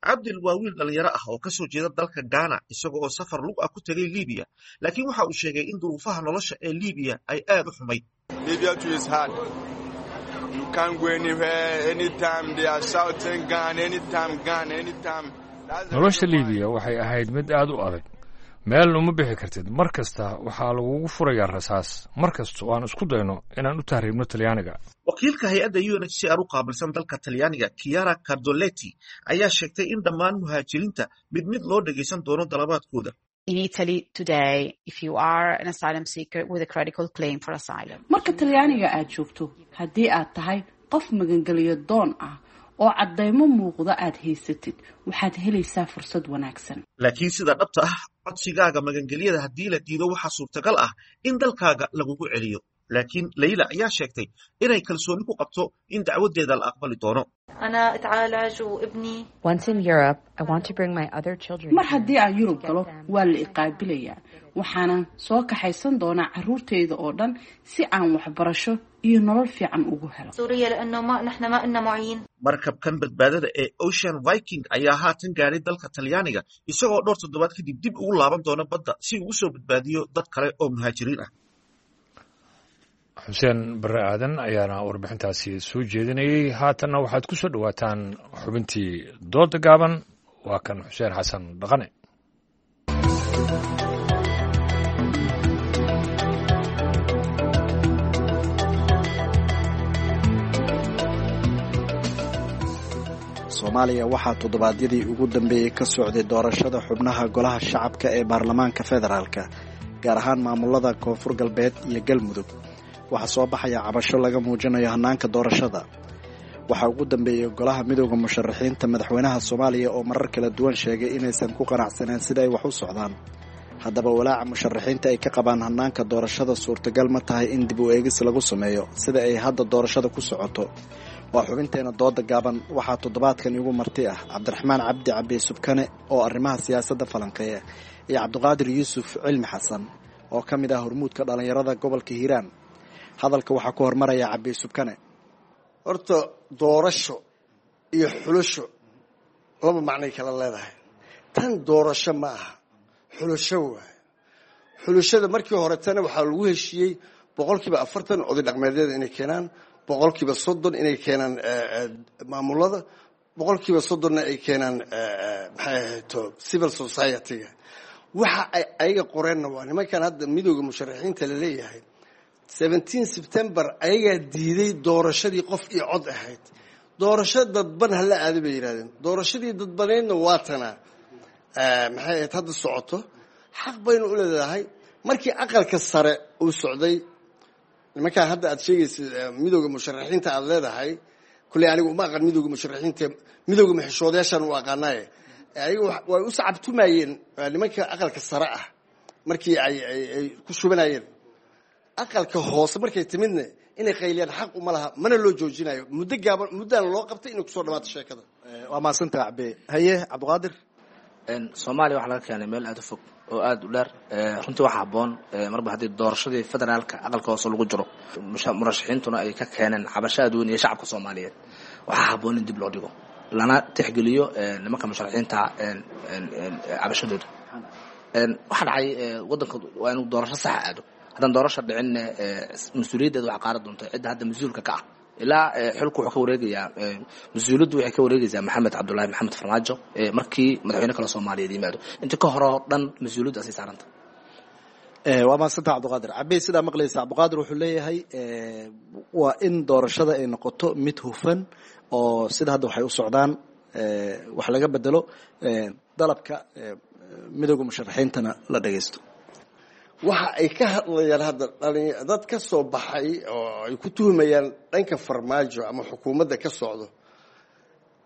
Cabdil waa wiil dhalinyaro ah oo kasoo jeeda dalka Ghana, isaga oo safar lug ah ku tegay Liibiya, laakiin waxa uu sheegay in duruufaha nolosha ee Liibiya ay aad u xumayd. Nolosha Liibiya waxay ahayd mid aad u adag. Meel uma bixi kartid, mar kasta waxaa lagugu furayaa rasaas, mar kasta oo aan isku dayno inaan u tahriibno Talyaaniga. Wakiilka hay-adda U N H C R u qaabilsan dalka Talyaaniga, Chiara Cardoletti, ayaa sheegtay in dhammaan muhaajiriinta mid mid loo dhegaysan doono dalabaadkooda. In Italy today, if you are an asylum seeker with a credible claim for asylum. Marka Talyaaniga aad joogto, haddii aad tahay qof magangeliyo doon ah oo caddaymo muuqda aad haysatid, waxaad helaysaa fursad wanaagsan. Laakiin sida dhabta ah, codsigaaga magangelyada haddii la diido waxaa suurtagal ah in dalkaaga lagugu celiyo. Laakiin Leyla ayaa sheegtay inay kalsooni ku qabto in dacwaddeeda la aqbali doono. أنا أتعالج وابني Once in Europe, I want to bring my other children. Mar haddii aan Yurub galo waa la iqaabilayaa, waxaana soo kaxaysan doonaa carruurtayda oo dhan si aan waxbarasho iyo nolol fiican ugu helo. سوريا لأنه ما نحن ما إلنا معين. Markabkan badbaadada ee Ocean Viking ayaa haatan gaadhay dalka Talyaaniga, isagoo dhowr toddobaad kadib dib ugu laaban doona badda si uu u soo badbaadiyo dad kale oo muhaajiriin ah. Xuseen Barre Aadan ayaana warbixintaasi soo jeedinayey. Haatanna waxaad ku soo dhowaataan xubintii dooda gaaban. Waa kan Xuseen Xasan Dhaqane. Soomaaliya waxaa toddobaadyadii ugu dambeeyey ka socday doorashada xubnaha golaha shacabka ee baarlamaanka federaalka, gaar ahaan maamulada Koonfur Galbeed iyo Galmudug. Waxaa soo baxaya cabasho laga muujinayo hannaanka doorashada. Waxaa ugu dambeeyey golaha midooda musharaxiinta madaxweynaha Soomaaliya oo marar kala duwan sheegay inaysan ku qanacsaneen sida ay wax u socdaan. Haddaba, walaaca musharaxiinta ay ka qabaan hannaanka doorashada suurtagal ma tahay in dib u eegis lagu sameeyo sida ay hadda doorashada ku socoto? Waa xubinteena dooda gaaban. Waxaa toddobaadkan igu marti ah Cabdiraxmaan Cabdi Cabi Subkane oo arrimaha siyaasadda falanqeeya iyo Cabdiqaadir Yuusuf Cilmi Xasan oo ka mid ah hormuudka dhallinyarada gobolka Hiiraan. Hadalka waxaa ku hormaraya Cabi Subkane. Horta doorasho iyo xulasho laba macnay kala leedahay. Tan doorasho ma aha, xulasho waaye. Xulashada markii horetana waxaa lagu heshiiyey boqolkiiba afartan oday dhaqmeedyada inay keenaan, boqolkiiba soddon inay keenaan maamulada, boqolkiiba soddonna ay keenaan, maxay ahayto, civil society-ga. Waxa ay ayaga qoreenna waa nimankan hadda midooda musharaxiinta la leeyahay. Seventeen September ayagaa diiday doorashadii qof iyo cod ahayd. Doorasho dadban hala aada bay yidhahdeen. Doorashadii dadbaneydna waa tanaa, maxay ahayd, hadda socoto. Xaq baynu u leedahay. Markii aqalka sare uu socday, nimankaan hadda aad sheegaysa midooda musharaxiinta aada leedahay, kulley anigu uma aqaan midooda musharaxiinta, midooda muxishoodayaashaan u aqaanaaye. Ayaga way u sacabtumayeen nimanka aqalka sare ah markii ay ay ku shubanayeen. Aqalka hoose markay timidna inay qayliyaan xaq uma laha, mana loo joojinayo. Muddo gaaban muddaan loo qabtay inay kusoo dhamaato sheekada. Waa mahadsantaha Cabe. Haye Cabdiqaadir. Soomaaliya waxaa laga keenay meel aada u fog oo aada u dheer. Runtii waxaa habboon, marba haddii doorashadii federaalka aqalka hoose lagu jiro, murashaxiintuna ay ka keeneen cabasho aad weyn iyo shacabka Soomaaliyeed, waxaa habboon in dib loo dhigo lana tixgeliyo nimanka musharaxiinta cabashadooda. Waxaa dhacay waddanka waa inuu doorasho saxa aado. Haddaan doorasha dhicinna, mas-uuliyaddeeda waxaa qaadan doonta cidda hadda mas-uulka ka ah. Ilaa xilku wuxuu ka wareegayaa, mas-uuliyaddu waxay ka wareegaysaa Maxamed Cabdullaahi Maxamed Farmaajo markii madaxweyne kale Soomaaliyeed yimaado. Inta ka hore oo dhan mas-uuliyaddu asay saaranta. Waa mahadsantaha Cabdiqaadir Cabi. Sidaa maqlaysa, Cabdiqaadir wuxuu leeyahay waa in doorashada ay noqoto mid hufan oo sida hadda waxay u socdaan wax laga bedelo, dalabka midooda musharaxiintana la dhagaysto. Waxa ay ka hadlayaan hadda dhalin dad ka soo baxay oo ay ku tuhumayaan dhanka Farmaajo ama xukuumadda ka socdo,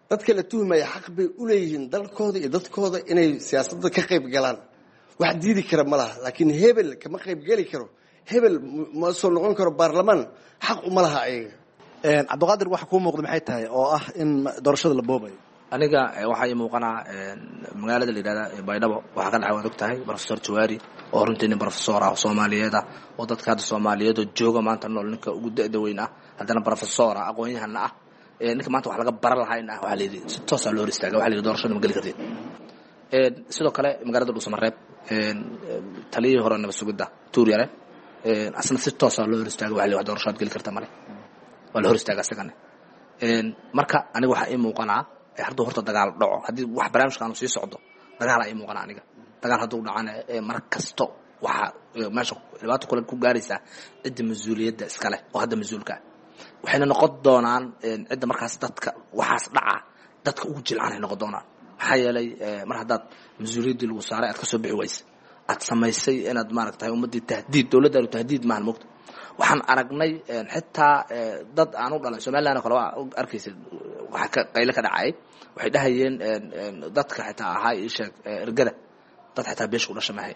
dadka la tuhumaya xaq bay u leeyihiin dalkooda iyo dadkooda inay siyaasadda ka qayb galaan. Wax diidi kara ma laha, laakiin hebel kama qayb geli karo, hebel ma soo noqon karo baarlamaan, xaq uma laha ayaga. Cabdiqaadir, waxa kuu muuqda maxay tahay oo ah in doorashada la boobayo? Aniga waxaa ii muuqanaa magaalada la yidhahda Baydhabo waxaa ka dhacay, waad og tahay, Professor Jawaari oo runtii nin professor ah oo Soomaaliyeed ah oo dadka hadda Soomaaliyeed oo jooga maanta nool ninka ugu da'da weyn ah, haddana professor ah, aqoon-yahanna ah, ninka maanta wax laga baran lahayn ah, waxaa la yidhi si toosaa loo hor istaaga, waxaa la yidhi doorashada ma geli kartid. Sidoo kale magaalada Dhuusamareeb, taliyihii hore nabad sugidda Tuur Yare asna si toosaa loo hor istaaga, waxaa la yidhi wax doorasho aad geli karta male, waa la hor istaaga isagana. Marka aniga waxaa ii muuqanaa hadduu horta dagaal dhaco, haddii wax barnaamijka aanu sii socdo, dagaalaa ii muuqana aniga. Dagaal hadduu dhacana, mar kasto waxaa meesha dhibaato kule ku gaaraysaa cidda mas-uuliyadda iska leh oo hadda mas-uulka ah. Waxayna noqon doonaan cidda markaas dadka waxaas dhaca dadka ugu jilcanay noqon doonaan. Maxaa yeelay, mar haddaad mas-uuliyaddii lagu saaray aad kasoo bixi waysa, aad samaysay inaad maaragtahay ummaddii tahdiid, dowladdaanu tahdiid maahan mogta. Waxaan aragnay xitaa dad aan u dhalan Somaliland oo kale, waa arkaysa waxa ka qayle ka dhacay, waxay dhahayeen dadka xitaa ahaa ii sheeg ergada, dad xitaa beesha u dhasha mahay.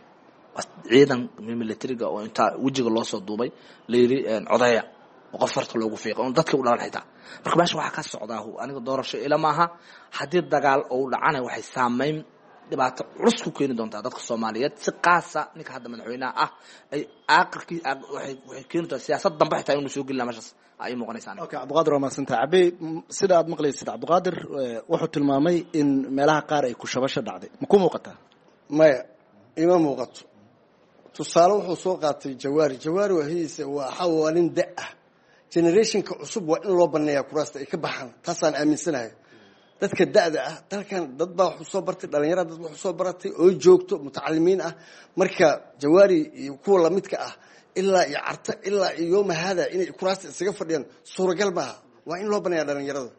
Ciidan militariga oo intaa wejiga loo soo duubay la yidhi codeeya oo qof farta loogu fiiqay oon dadka u dhalan xitaa. Marka meesha waxaa ka socdaa aniga doorasho ila maaha. Haddii dagaal ou dhacana waxay saameyn dhibaato culus ku keeni doontaa dadka Soomaaliyeed, si qaasa ninka hadda madaxweynaha ah ay aaqirkii waxay waxay keeni doontaa siyaasad dambe xitaa inuu soo gelina meeshaas ay muuqanaysaa. Okay, Cabdiqaadir, waa mahadsantahay. Cabe, sida aad maqlaysid, Cabdiqaadir wuxuu tilmaamay in meelaha qaar ay kushabasho dhacday. Ma ku muuqataa? Maya, ima muuqato. Tusaale wuxuu soo qaatay Jawaari. Jawaari waahidiisa waa waa nin da ah. Generationka cusub waa in loo baneeyaa kuraasta ay ka baxaan, taasaan aaminsanahay. Dadka da'da ah dalkan dad baa wax soo bartay, dhalinyarada dad wax soo baratay oo joogto mutacalimiin ah. Marka Jawaari iyo kuwa lamidka ah ilaa iyo Carta ilaa iyo yooma hada inay kuraasta isaga fadhiyaan suuragal maaha. Waa in loo baneeyaa dhalinyarada.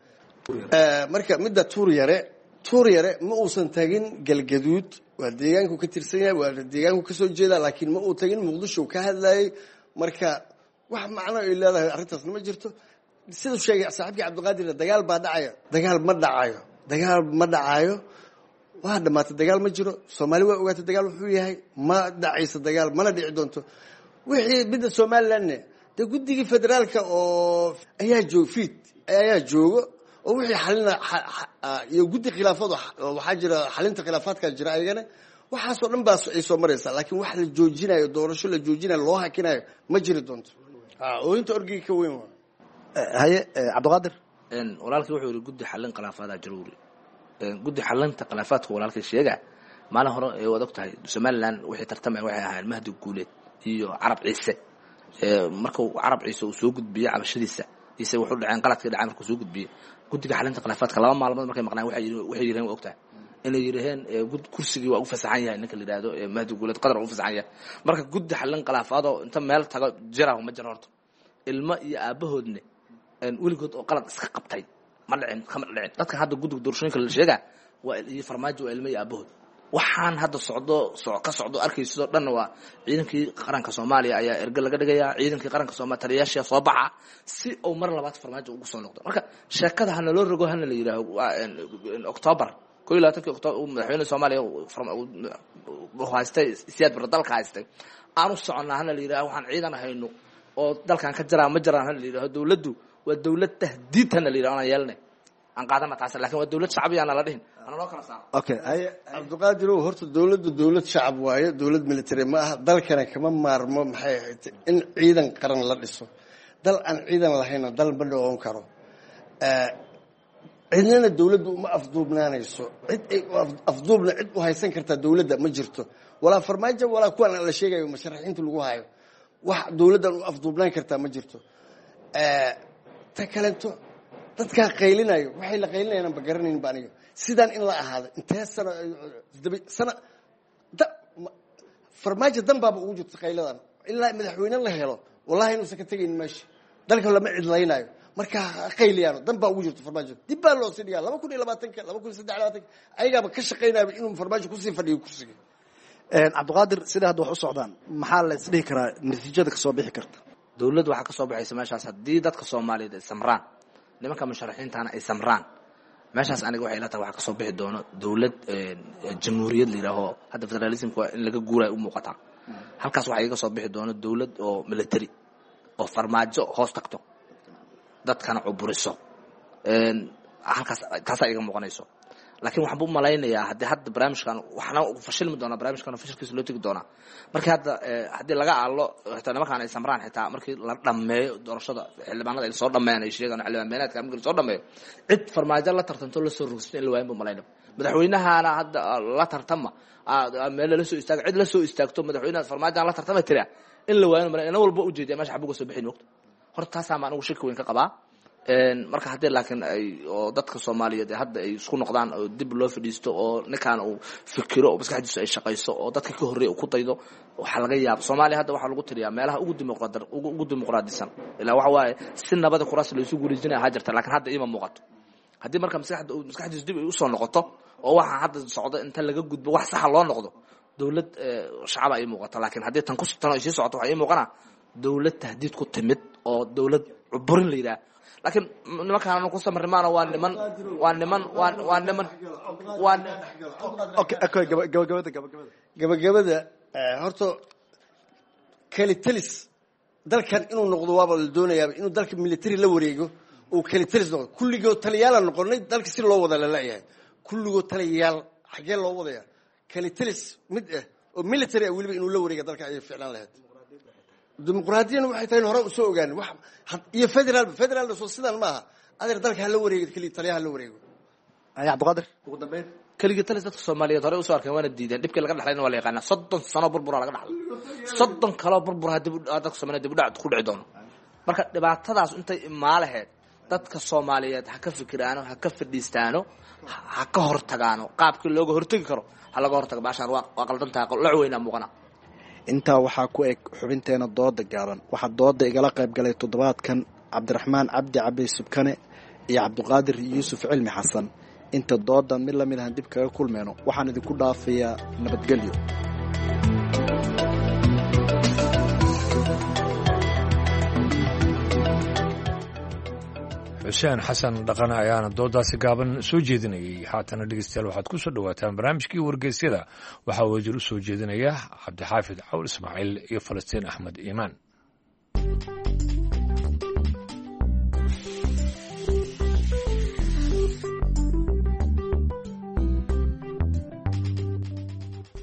Marka midda Tuur Yare, Tuur Yare ma uusan tagin Galgaduud, waa deegaanku ka tirsan yahay, waa deegaanku kasoo jeeda, laakiin ma uu tagin Muqdisho ka hadlayay. Marka wax macno ay leedahay arrintaasna ma jirto. Siduu sheegay saaxiibkii Cabdiqaadir, dagaal baa dhacaya. Dagaal ma dhacayo, dagaal ma dhacayo, waa dhamaatay. Dagaal ma jiro. Soomaali waa ogaatay dagaal wuxuu yahay. Ma dhacayso dagaal, mana dhici doonto. Wixii midda Somalilandne dee guddigii federaalka oo ayaa joog fiid ayaa joogo oo wixii xalina iyo guddi khilaafaad waxaa jira, xalinta khilaafaadkaa jira ayagana. Waxaasoo dhan baa ay soo maraysaa, laakiin wax la joojinayo, doorasho la joojinayo, loo hakinayo ma jiri doonto. Ooyinta orgiga ka weyn waa. Haye, Cabdiqaadir. Walaalkii wuxuu yihi guddi xalin khilaafaada jiro. Wuri guddi xalinta khilaafaadka walaalkii sheega maalin hore ee waad og tahay Somaliland wixii tartamaya waxay ahaayeen Mahdi Guuleed iyo Carab Ciise. Markuu Carab Ciise uu soo gudbiyey cabashadiisa ise wuxuu dhaceen qaladkii dhacay, markuu soo gudbiyey guddiga xalinta khilaafaadka laba maalmood markay maqnaan waxay waxay yiraheen, waa og tahay inay yiraheen kursigii waa u fasaxan yahay ninka la yidhaahdo Mahdi Guuleed, Qadar waa u fasaxan yahay. Marka guddi xalin khilaafaadoo inta meel tago jira ma jiro. Horta ilmo iyo aabahoodne weligood oo qalad iska qabtay ma dhicin, kama dhicin. Dadka hadda guddiga doorashooyinka la sheegaa waa iyo Farmaajo waa ilmo iyo aabahood. Waxaan hadda socdo so ka socdo arkaysidoo dhanna waa ciidankii qaranka Soomaaliya ayaa erge laga dhigayaa, ciidankii qaranka Soomaaliya taliyayaasha soo baxa si uu mar labaad Farmaajo ugu soo noqdo. Marka sheekada hana loo rogo, hana la yidhaaho October koo iyo labaatankii October madaxweyne Soomaaliya haystay Siyaad Barre dalka haystay aan u soconnaa, hana la yidhaho waxaan ciidan hayno oo dalkan ka jiraa ma jiraan, hana la yidhaho dowladdu waa dowlad tahdiid, hana la yidhaho anaan yeelanay aan qaadana taas, lakin waa dowlad shacbi aan la dhihin ana loo kala saaro. Okay, haye. Cabdiqaadir, horta dowladdu dowlad shacab waaye, dowlad military ma aha. Dalkana kama maarmo maxay ahayd in ciidan qaran la dhiso. Dal aan ciidan lahayna dal ma dhoon karo. Cidnana dowladdu uma afduubnaanayso. Cid ay afduubna cid u haysan kartaa dowladda ma jirto, walaa Farmaajo walaa kuwan la sheegayo musharaxiinta lagu hayo. Wax dowladdan u afduubnaan kartaa ma jirto. Ta kaleeto, dadkaa qaylinayo waxay la qaylinayaan ba garanayn ba aniga. Sidaan in la ahaado intee sano sana Farmaajo dan baaba ugu jirta qayladan ilaa madaxweyne la helo. Wallahi inuusan ka tegayn meesha, dalka lama cidlaynayo. Marka ha qayliyaano, dan baa ugu jirta Farmaajo. Dib baa loo sii dhigaa laba kun iyo labaatanka, laba kun iyo saddex labaatanka, ayagaaba ka shaqaynayaba inuu Farmaajo kusii fadhiyo kursiga. Cabdiqaadir, sida hadda wax u socdaan maxaa la isdhihi karaa natiijada kasoo bixi karta? Dowladdu waxaa kasoo baxaysa meeshaas haddii dadka Soomaaliyeed ay samraan, nimanka musharaxiintana ay samraan, meeshaas aniga waxay ila tahay waxaa kasoo bixi doono dowlad jamhuuriyad la yidhaaho. Hadda federalismka waa in laga guurayo u muuqataa. Halkaas waxaa iga soo bixi doono dowlad oo military oo Farmaajo hoos tagto, dadkana cuburiso. Halkaas taasaa iga muuqanayso. Laakiin waxaan u malaynayaa haddii hadda barnaamijkan waxna fashilmi doonaa, barnaamijkan fashilkiisa loo tegi doonaa markii hadda haddii laga aalo xitaa nimankaan ay samraan, xitaa markii la dhammeeyo doorashada xildhibaanada ay soo dhammeeyaan ay sheegaan xildhibaan beenaadka markii la soo dhammeeyo, cid Farmaajo la tartanto la soo rogsato in la waayin bu malaynaba. Madaxweynahana hadda la tartama meel lala soo istaago, cid la soo istaagto madaxweynaha Farmaajoan la tartama tiraa in la waayin malay. Ina walba ujeediya meesha xabuga soo bixin mogto. Horta taasaa ma anigu shaki weyn ka qabaa. Marka haddii laakiin ay oo dadka Soomaaliyeed hadda ay isku noqdaan oo dib loo fadhiisto oo ninkaan uu fikiro oo maskaxdiisu ay shaqayso oo dadka ka horreeya uu ku daydo, waxaa laga yaaba Soomaaliya hadda waxaa lagu tiriyaa meelaha ugu dimuqraad ugu dimuqraadisan ilaa waxa waaye si nabada kuraas la isu guulaysanaya ahaa jirta. Laakiin hadda iima muuqato. Haddii marka maskaxda maskaxdiisu dib ay usoo noqoto oo waxa hadda socdo inta laga gudbo wax saxa loo noqdo, dowlad shacaba ay muuqato. Laakiin haddii tan ku tan ay sii socoto waxaa ii muuqanaa dowlad tahdiid ku timid oo dowlad cuburin la yidhaah. Laakiin nimankaan ku samarnimaana waa niman waa niman waa waa niman waa okay okay, gabagabada gabagabada. Gabagabada, Horta kelitelis dalkan inuu noqdo waaba la doonayaaba, inuu dalka military la wareego oo kelitelis noqdo. Kulligood taliyaala noqonay dalka si loo wada lalayahay, kulligood taliyayaal xaggee loo wadaya? Kelitelis mid ah oo military ah weliba inuu la wareega dalka ayay ficlaan lahayd. Dimuqraadiyana waxay tahay in hore usoo ogaan wax iyo federaal federaalna soo sidaan maaha. Adeer, dalka hala wareego, keli taliyaha hala wareego. Cabdiqaadir, ugu dambeyn. Keligii talis dadka Soomaaliyeed hore usoo arkeen waana diideen. Dhibkii laga dhaxlayna waa la yaqaanaa, soddon sano burbura laga dhaxlay, soddon kaloo burbura dib dadka Soomaaliyeed dib u dhac ku dhici doono. Marka dhibaatadaas intay imaalaheed dadka Soomaaliyeed ha ka fikiraano, ha ka fadhiistaano, ha ka hortagaano. Qaabkii looga hortagi karo ha laga hortago. Baashaan waa waa qaldantahay, la weynaa muuqana. Intaa waxaa ku eg xubinteena dooda gaaban. Waxaa dooda igala qayb galay toddobaadkan Cabdiraxmaan Cabdi Cabdi Subkane iyo Cabdiqaadir Yuusuf Cilmi Xasan. Inta doodan mid lamid ahan dib kaga kulmeyno, waxaan idinku dhaafayaa nabadgelyo. Xuseen Xasan Dhaqane ayaana doodaasi gaaban soo jeedinayay. Haatana dhegeystayaal, waxaad ku soo dhowaataan barnaamijkii wargeysyada. Waxaa wasiir u soo jeedinaya Cabdixaafid Cawl Ismaaciil iyo Falastiin Axmed Iimaan.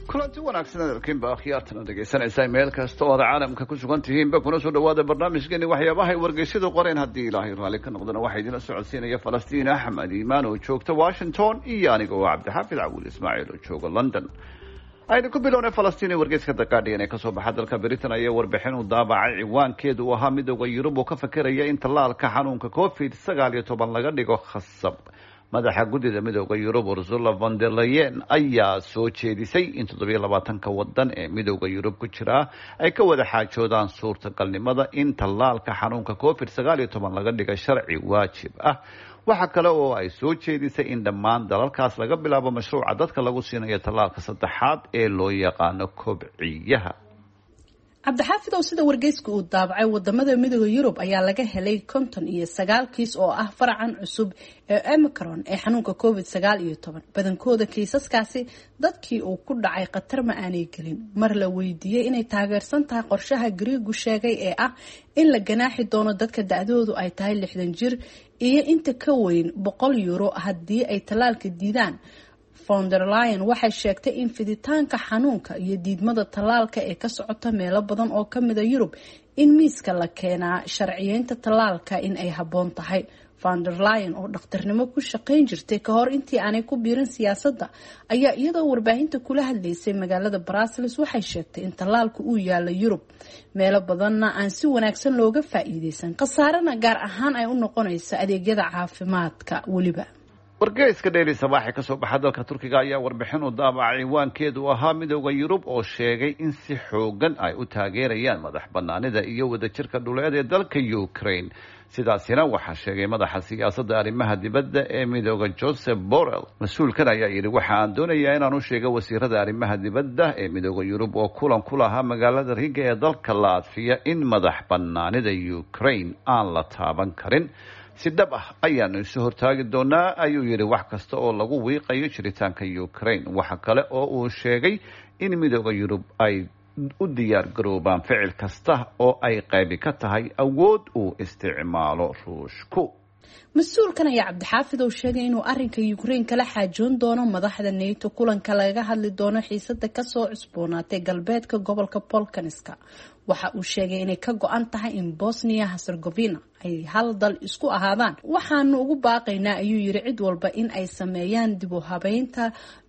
Kulanti wanaagsan adarkiinba akhyaartana dhegaysanaysaa meel kasta oo aad caalamka ku sugan tihiinba, kuna soo dhawaada barnaamijkeeni waxyaabahay wargeysyadu qoreen. Haddii Ilaahay raalli ka noqdana, waxaa idinla socodsiinaya Falastiin Axmed Iimaan oo joogta Washington iyo aniga oo Cabdixaafid Cawil Ismaaciil oo jooga London. Aynu ku bilownay Falastiin ee wargeyska The Guardian ee kasoo baxa dalka Britain ayaa warbixin u daabacay ciwaankeedu uu ahaa Midowda Yurub oo ka fakeraya in tallaalka xanuunka Covid sagaal iyo toban laga dhigo khasab. Madaxa guddida Midowda Yurub Ursula von der Leyen ayaa soo jeedisay in toddobiyo labaatanka wadan ee Midowda Yurub ku jiraa ay ka wada xaajoodaan suurtagalnimada in tallaalka xanuunka Covid sagaal iyo toban laga dhiga sharci waajib ah. Waxa kale oo ay soo jeedisay in dhammaan dalalkaas laga bilaabo mashruuca dadka lagu siinayo tallaalka saddexaad ee loo yaqaano kobciyaha. Cabdixaafid, oo sida wargeyska uu daabacay, wadamada Midooda Yurub ayaa laga helay konton iyo sagaal kiis oo ah faracan cusub ee Omicron ee xanuunka Covid sagaal iyo toban. Badankooda kiisaskaasi dadkii uu ku dhacay khatar ma aanay gelin. Mar la weydiiyey inay taageersan tahay qorshaha Griigu sheegay ee ah in la ganaaxi doono dadka da-doodu ay tahay lixdan jir iyo inta ka weyn boqol euro haddii ay tallaalka diidaan, von der Leyen waxay sheegtay in fiditaanka xanuunka iyo diidmada tallaalka ee ka socota meelo badan oo kamida Yurub in miiska la keenaa sharciyeynta tallaalka in ay habboon tahay. Von der Leyen oo dhakhtarnimo ku shaqayn jirtay ka hor intii aanay ku biirin siyaasadda ayaa iyadoo warbaahinta kula hadlaysay magaalada Brussels waxay sheegtay in tallaalku uu yaalo Yurub, meelo badanna aan si wanaagsan looga faa'iideysan, khasaarena gaar ahaan ay u noqonayso adeegyada caafimaadka weliba. Wargeyska Daily Sabaax ee kasoo baxa dalka Turkiga ayaa warbixin u daabacay ciwaankeedu ahaa Midowda Yurub oo sheegay in si xoogan ay u taageerayaan madax banaanida iyo wadajirka dhuleed ee dalka Ukraine. Sidaasina waxaa sheegay madaxa siyaasadda arrimaha dibadda ee Midowda Joseph Borrell. Mas-uulkan ayaa yidhi: "Waxa aan doonayaa inaan u sheego wasiirada arrimaha dibadda ee Midowda Yurub oo kulan ku lahaa magaalada Riga ee dalka Laatfiya in madax banaanida Ukraine aan la taaban karin. Si dhab ah ayaanu isu hortaagi doonaa," ayuu yidhi, "wax kasta oo lagu wiiqayo jiritaanka Ukraine." Waxa kale oo uu sheegay in Midowda Yurub ay u diyaar garoobaan ficil kasta oo ay qaybi ka tahay awood uu isticmaalo Ruushku. Mas-uulkan ayaa, Cabdixaafid, oo sheegay inuu arinka Ukraine kala xaajoon doono madaxda NATO kulanka lagaga hadli doono xiisada kasoo cusboonaatay galbeedka gobolka Bolkaniska. Waxa uu sheegay inay ka go-an tahay in Bosnia Herzegovina ay hal dal isku ahaadaan. "Waxaanu ugu baaqaynaa," ayuu yiri, "cid walba in ay sameeyaan dib u habeynta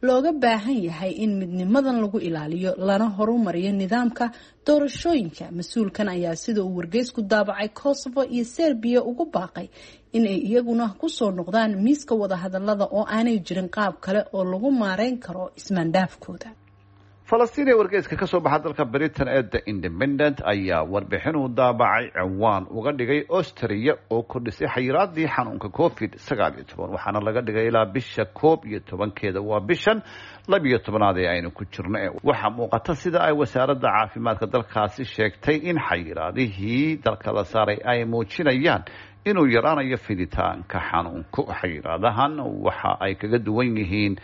looga baahan yahay in midnimadan lagu ilaaliyo lana horumariyo nidaamka doorashooyinka." Mas-uulkan ayaa, sida uu wargeysku daabacay, Kosovo iyo Serbiya ugu baaqay in ay iyaguna kusoo noqdaan miiska wadahadalada oo aanay jirin qaab kale oo lagu maareyn karo ismaandhaafkooda. Falastiin ee wargeyska ka soo baxa dalka Britain ee The Independent ayaa warbixin uu daabacay ciwaan uga dhigay Austria oo kordhisay xayiraadii xanuunka Covid sagaal iyo toban, waxaana laga dhigay ilaa bisha koob iyo tobankeeda, waa bishan labiyo tobnaad ee aynu ku jirno. Waxaa muuqata, sida ay wasaaradda caafimaadka dalkaasi sheegtay, in xayiraadihii dalka la saaray ay muujinayaan inuu yaraanayo fiditaanka xanuunku. Xayiraadahan waxa ay kaga duwan yihiin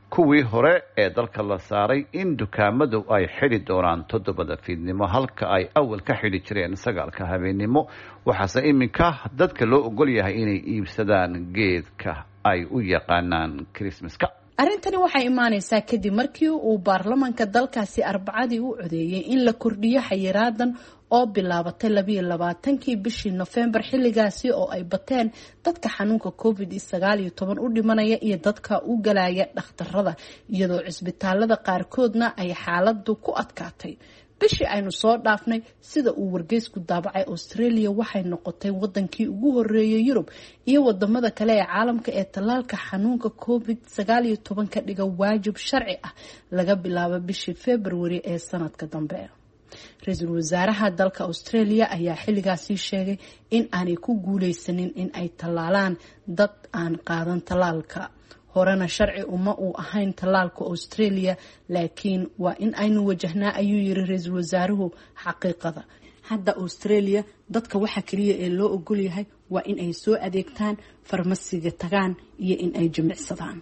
kuwii hore ee dalka la saaray in dukaamadu ay xidhi doonaan toddobada fiidnimo halka ay awal ka xidhi jireen sagaalka habeennimo. Waxaase iminka dadka loo ogol yahay inay iibsadaan geedka ay u yaqaanaan Christmaska. Arrintani waxay imaaneysaa kadib markii uu baarlamaanka dalkaasi Arbacadii u codeeyey in la kordhiyo xayiraadan oo bilaabatay labiyo labaatankii bishii Nofembar, xilligaasi oo ay bateen dadka xanuunka covid sagaal iyo toban u dhimanaya iyo dadka u galaya dhakhtarada, iyadoo cisbitaalada qaarkoodna ay xaaladu ku adkaatay. Bishii aynu soo dhaafnay, sida uu wargeysku daabacay, Australia waxay noqotay wadankii ugu horeeyay Yurub iyo wadamada kale ee caalamka ee tallaalka xanuunka covid sagaal iyo toban ka dhiga waajib sharci ah laga bilaabo bishii February ee sanadka dambe. Ra-iisul wasaaraha dalka Australia ayaa xilligaasi sheegay in aanay ku guuleysanin in ay tallaalaan dad aan qaadan tallaalka. Horena sharci uma uu ahayn tallaalka Australia, laakiin waa in aynu wajahnaa, ayuu yiri ra-iisul wasaaruhu, xaqiiqada. Hadda Australia dadka waxa kaliya ee loo ogol yahay waa in ay soo adeegtaan, farmasiga tagaan iyo in ay jimicsadaan.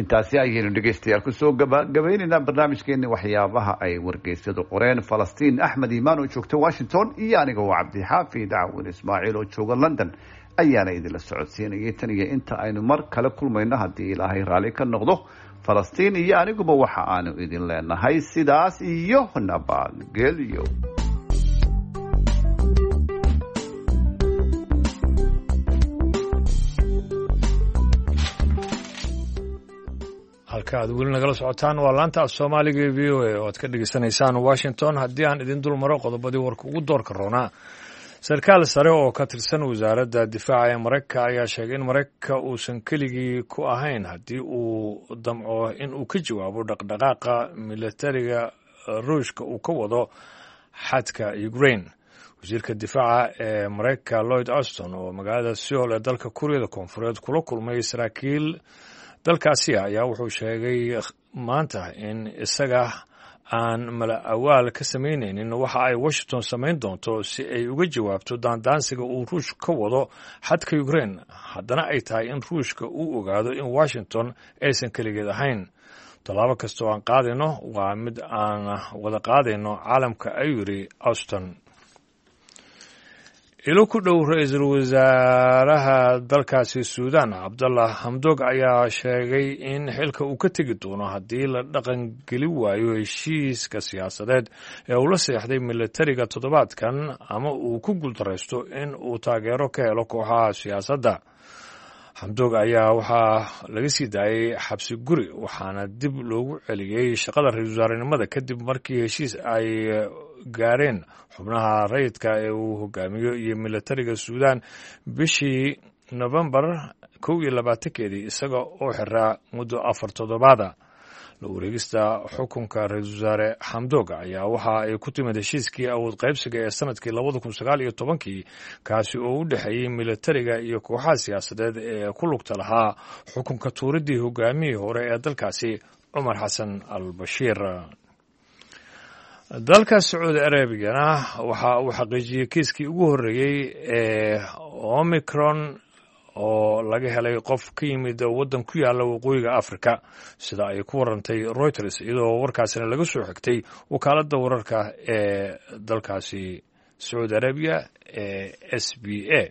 Intaasi ayaynu dhegeystayaal kusoo gabagabaynaynaa barnaamijkeeni waxyaabaha ay wargeysyadu qoreen. Falastiin Axmed Iimaan oo joogta Washington iyo aniga oo Cabdixaafi Dacwin Ismaaciil oo jooga London ayaana idinla socodsiinayay. Tan iyo inta aynu mar kale kulmayno haddii Ilaahay raalli ka noqdo, Falastiin iyo aniguba waxa aanu idin leenahay sidaas iyo nabadgelyo. Halka aad weli nagala socotaan waa laanta af soomaaliga ee V O A oo aad ka dhegeysanaysaan Washington. Haddii aan idin dul maro qodobadii warka ugu doorka roonaa, sarkaal sare oo ka tirsan wasaaradda difaaca ee Maraykanka ayaa sheegay in Maraykanka uusan keligii ku ahayn haddii uu damco in uu ka jawaabo dhaqdhaqaaqa militariga Ruushka uu ka wado xadka Ukraine. Wasiirka difaaca ee Maraykanka Lloyd Austin oo magaalada Seoul ee dalka Kuuriyada Koonfureed kula kulmay saraakiil dalkaasi ayaa wuxuu sheegay maanta in isaga aan mala awaal ka samaynaynin waxa ay Washington samayn doonto si ay uga jawaabto daandaansiga uu Ruushka ka wado xadka Ukraine, haddana ay tahay in Ruushka uu ogaado in Washington aysan keligeed ahayn. Tallaabo kasta oo aan qaadayno waa mid aan wada qaadayno caalamka, ayuu yidhi Austin. Ilo ku dhow ra-iisul wasaaraha dalkaasi Suudaan Cabdallah Hamdog ayaa sheegay in xilka uu ka tegi doono haddii la dhaqangeli waayo heshiiska siyaasadeed ee uu la seexday militariga toddobaadkan ama uu ku guuldaraysto in uu taageero ka helo kooxaha siyaasadda. Hamdog ayaa waxaa laga sii daayay xabsi guri, waxaana dib loogu celiyey shaqada ra-iisul wasaarenimada kadib markii heshiis ay gaareen xubnaha rayidka ee uu hogaamiyo iyo militariga Suudaan bishii Nofembar kow iyo labaatankeedii, isaga oo xiraa muddo afar toddobaada. La wareegista xukunka ra-iisul wasaare Xamdoog ayaa waxa ay ku timid heshiiskii awood qaybsiga ee sanadkii labada kun sagaal iyo tobankii, kaasi oo u dhexeeyey militariga iyo kooxaha siyaasadeed ee ku lugta lahaa xukunka tuuridii hogaamihii hore ee dalkaasi Cumar Xasan al Bashiir. Dalka Sacuudi Arabigana waxa uu xaqiijiyey kiiskii ugu horreeyey ee Omicron oo laga helay qof ka yimid waddan ku yaalla waqooyiga Africa, sida ay ku warantay Reuters, iyadoo warkaasina laga soo xigtay wakaaladda wararka ee dalkaasi Sacuudi Arabiya ee S B A.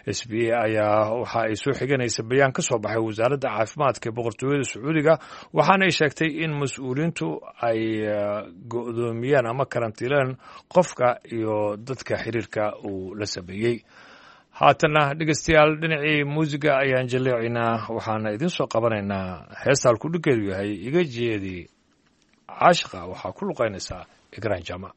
S B A ayaa waxa ay soo xiganaysa bayaan ka soo baxay wasaaradda caafimaadka ee boqortooyada Sacuudiga, waxaana ay sheegtay in mas-uuliyiintu ay go'doomiyeen ama karantiileen qofka iyo dadka xiriirka uu la sameeyey. Haatanna dhegeystayaal, dhinacii muusiga ayaan jaleecaynaa, waxaana idiin soo qabanaynaa heesta halkudhigeedu yahay Iga Jeedi Caashiqa. Waxaa ku luqaynaysaa Igraan Jaamac.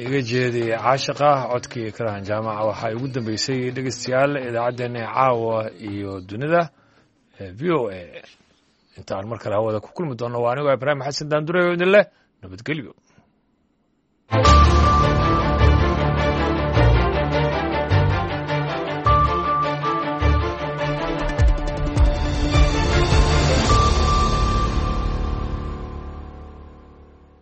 Iga jeedi caashiqa codkii karahan jaamaca waxaa ugu dambeysay dhegeystayaal idaacaddeenna caawa iyo dunida v o a. Intaan mar kale hawada ku kulmi doonno waa anigoo Ibraahim Xasan Daandure oo idin leh nabadgelyo.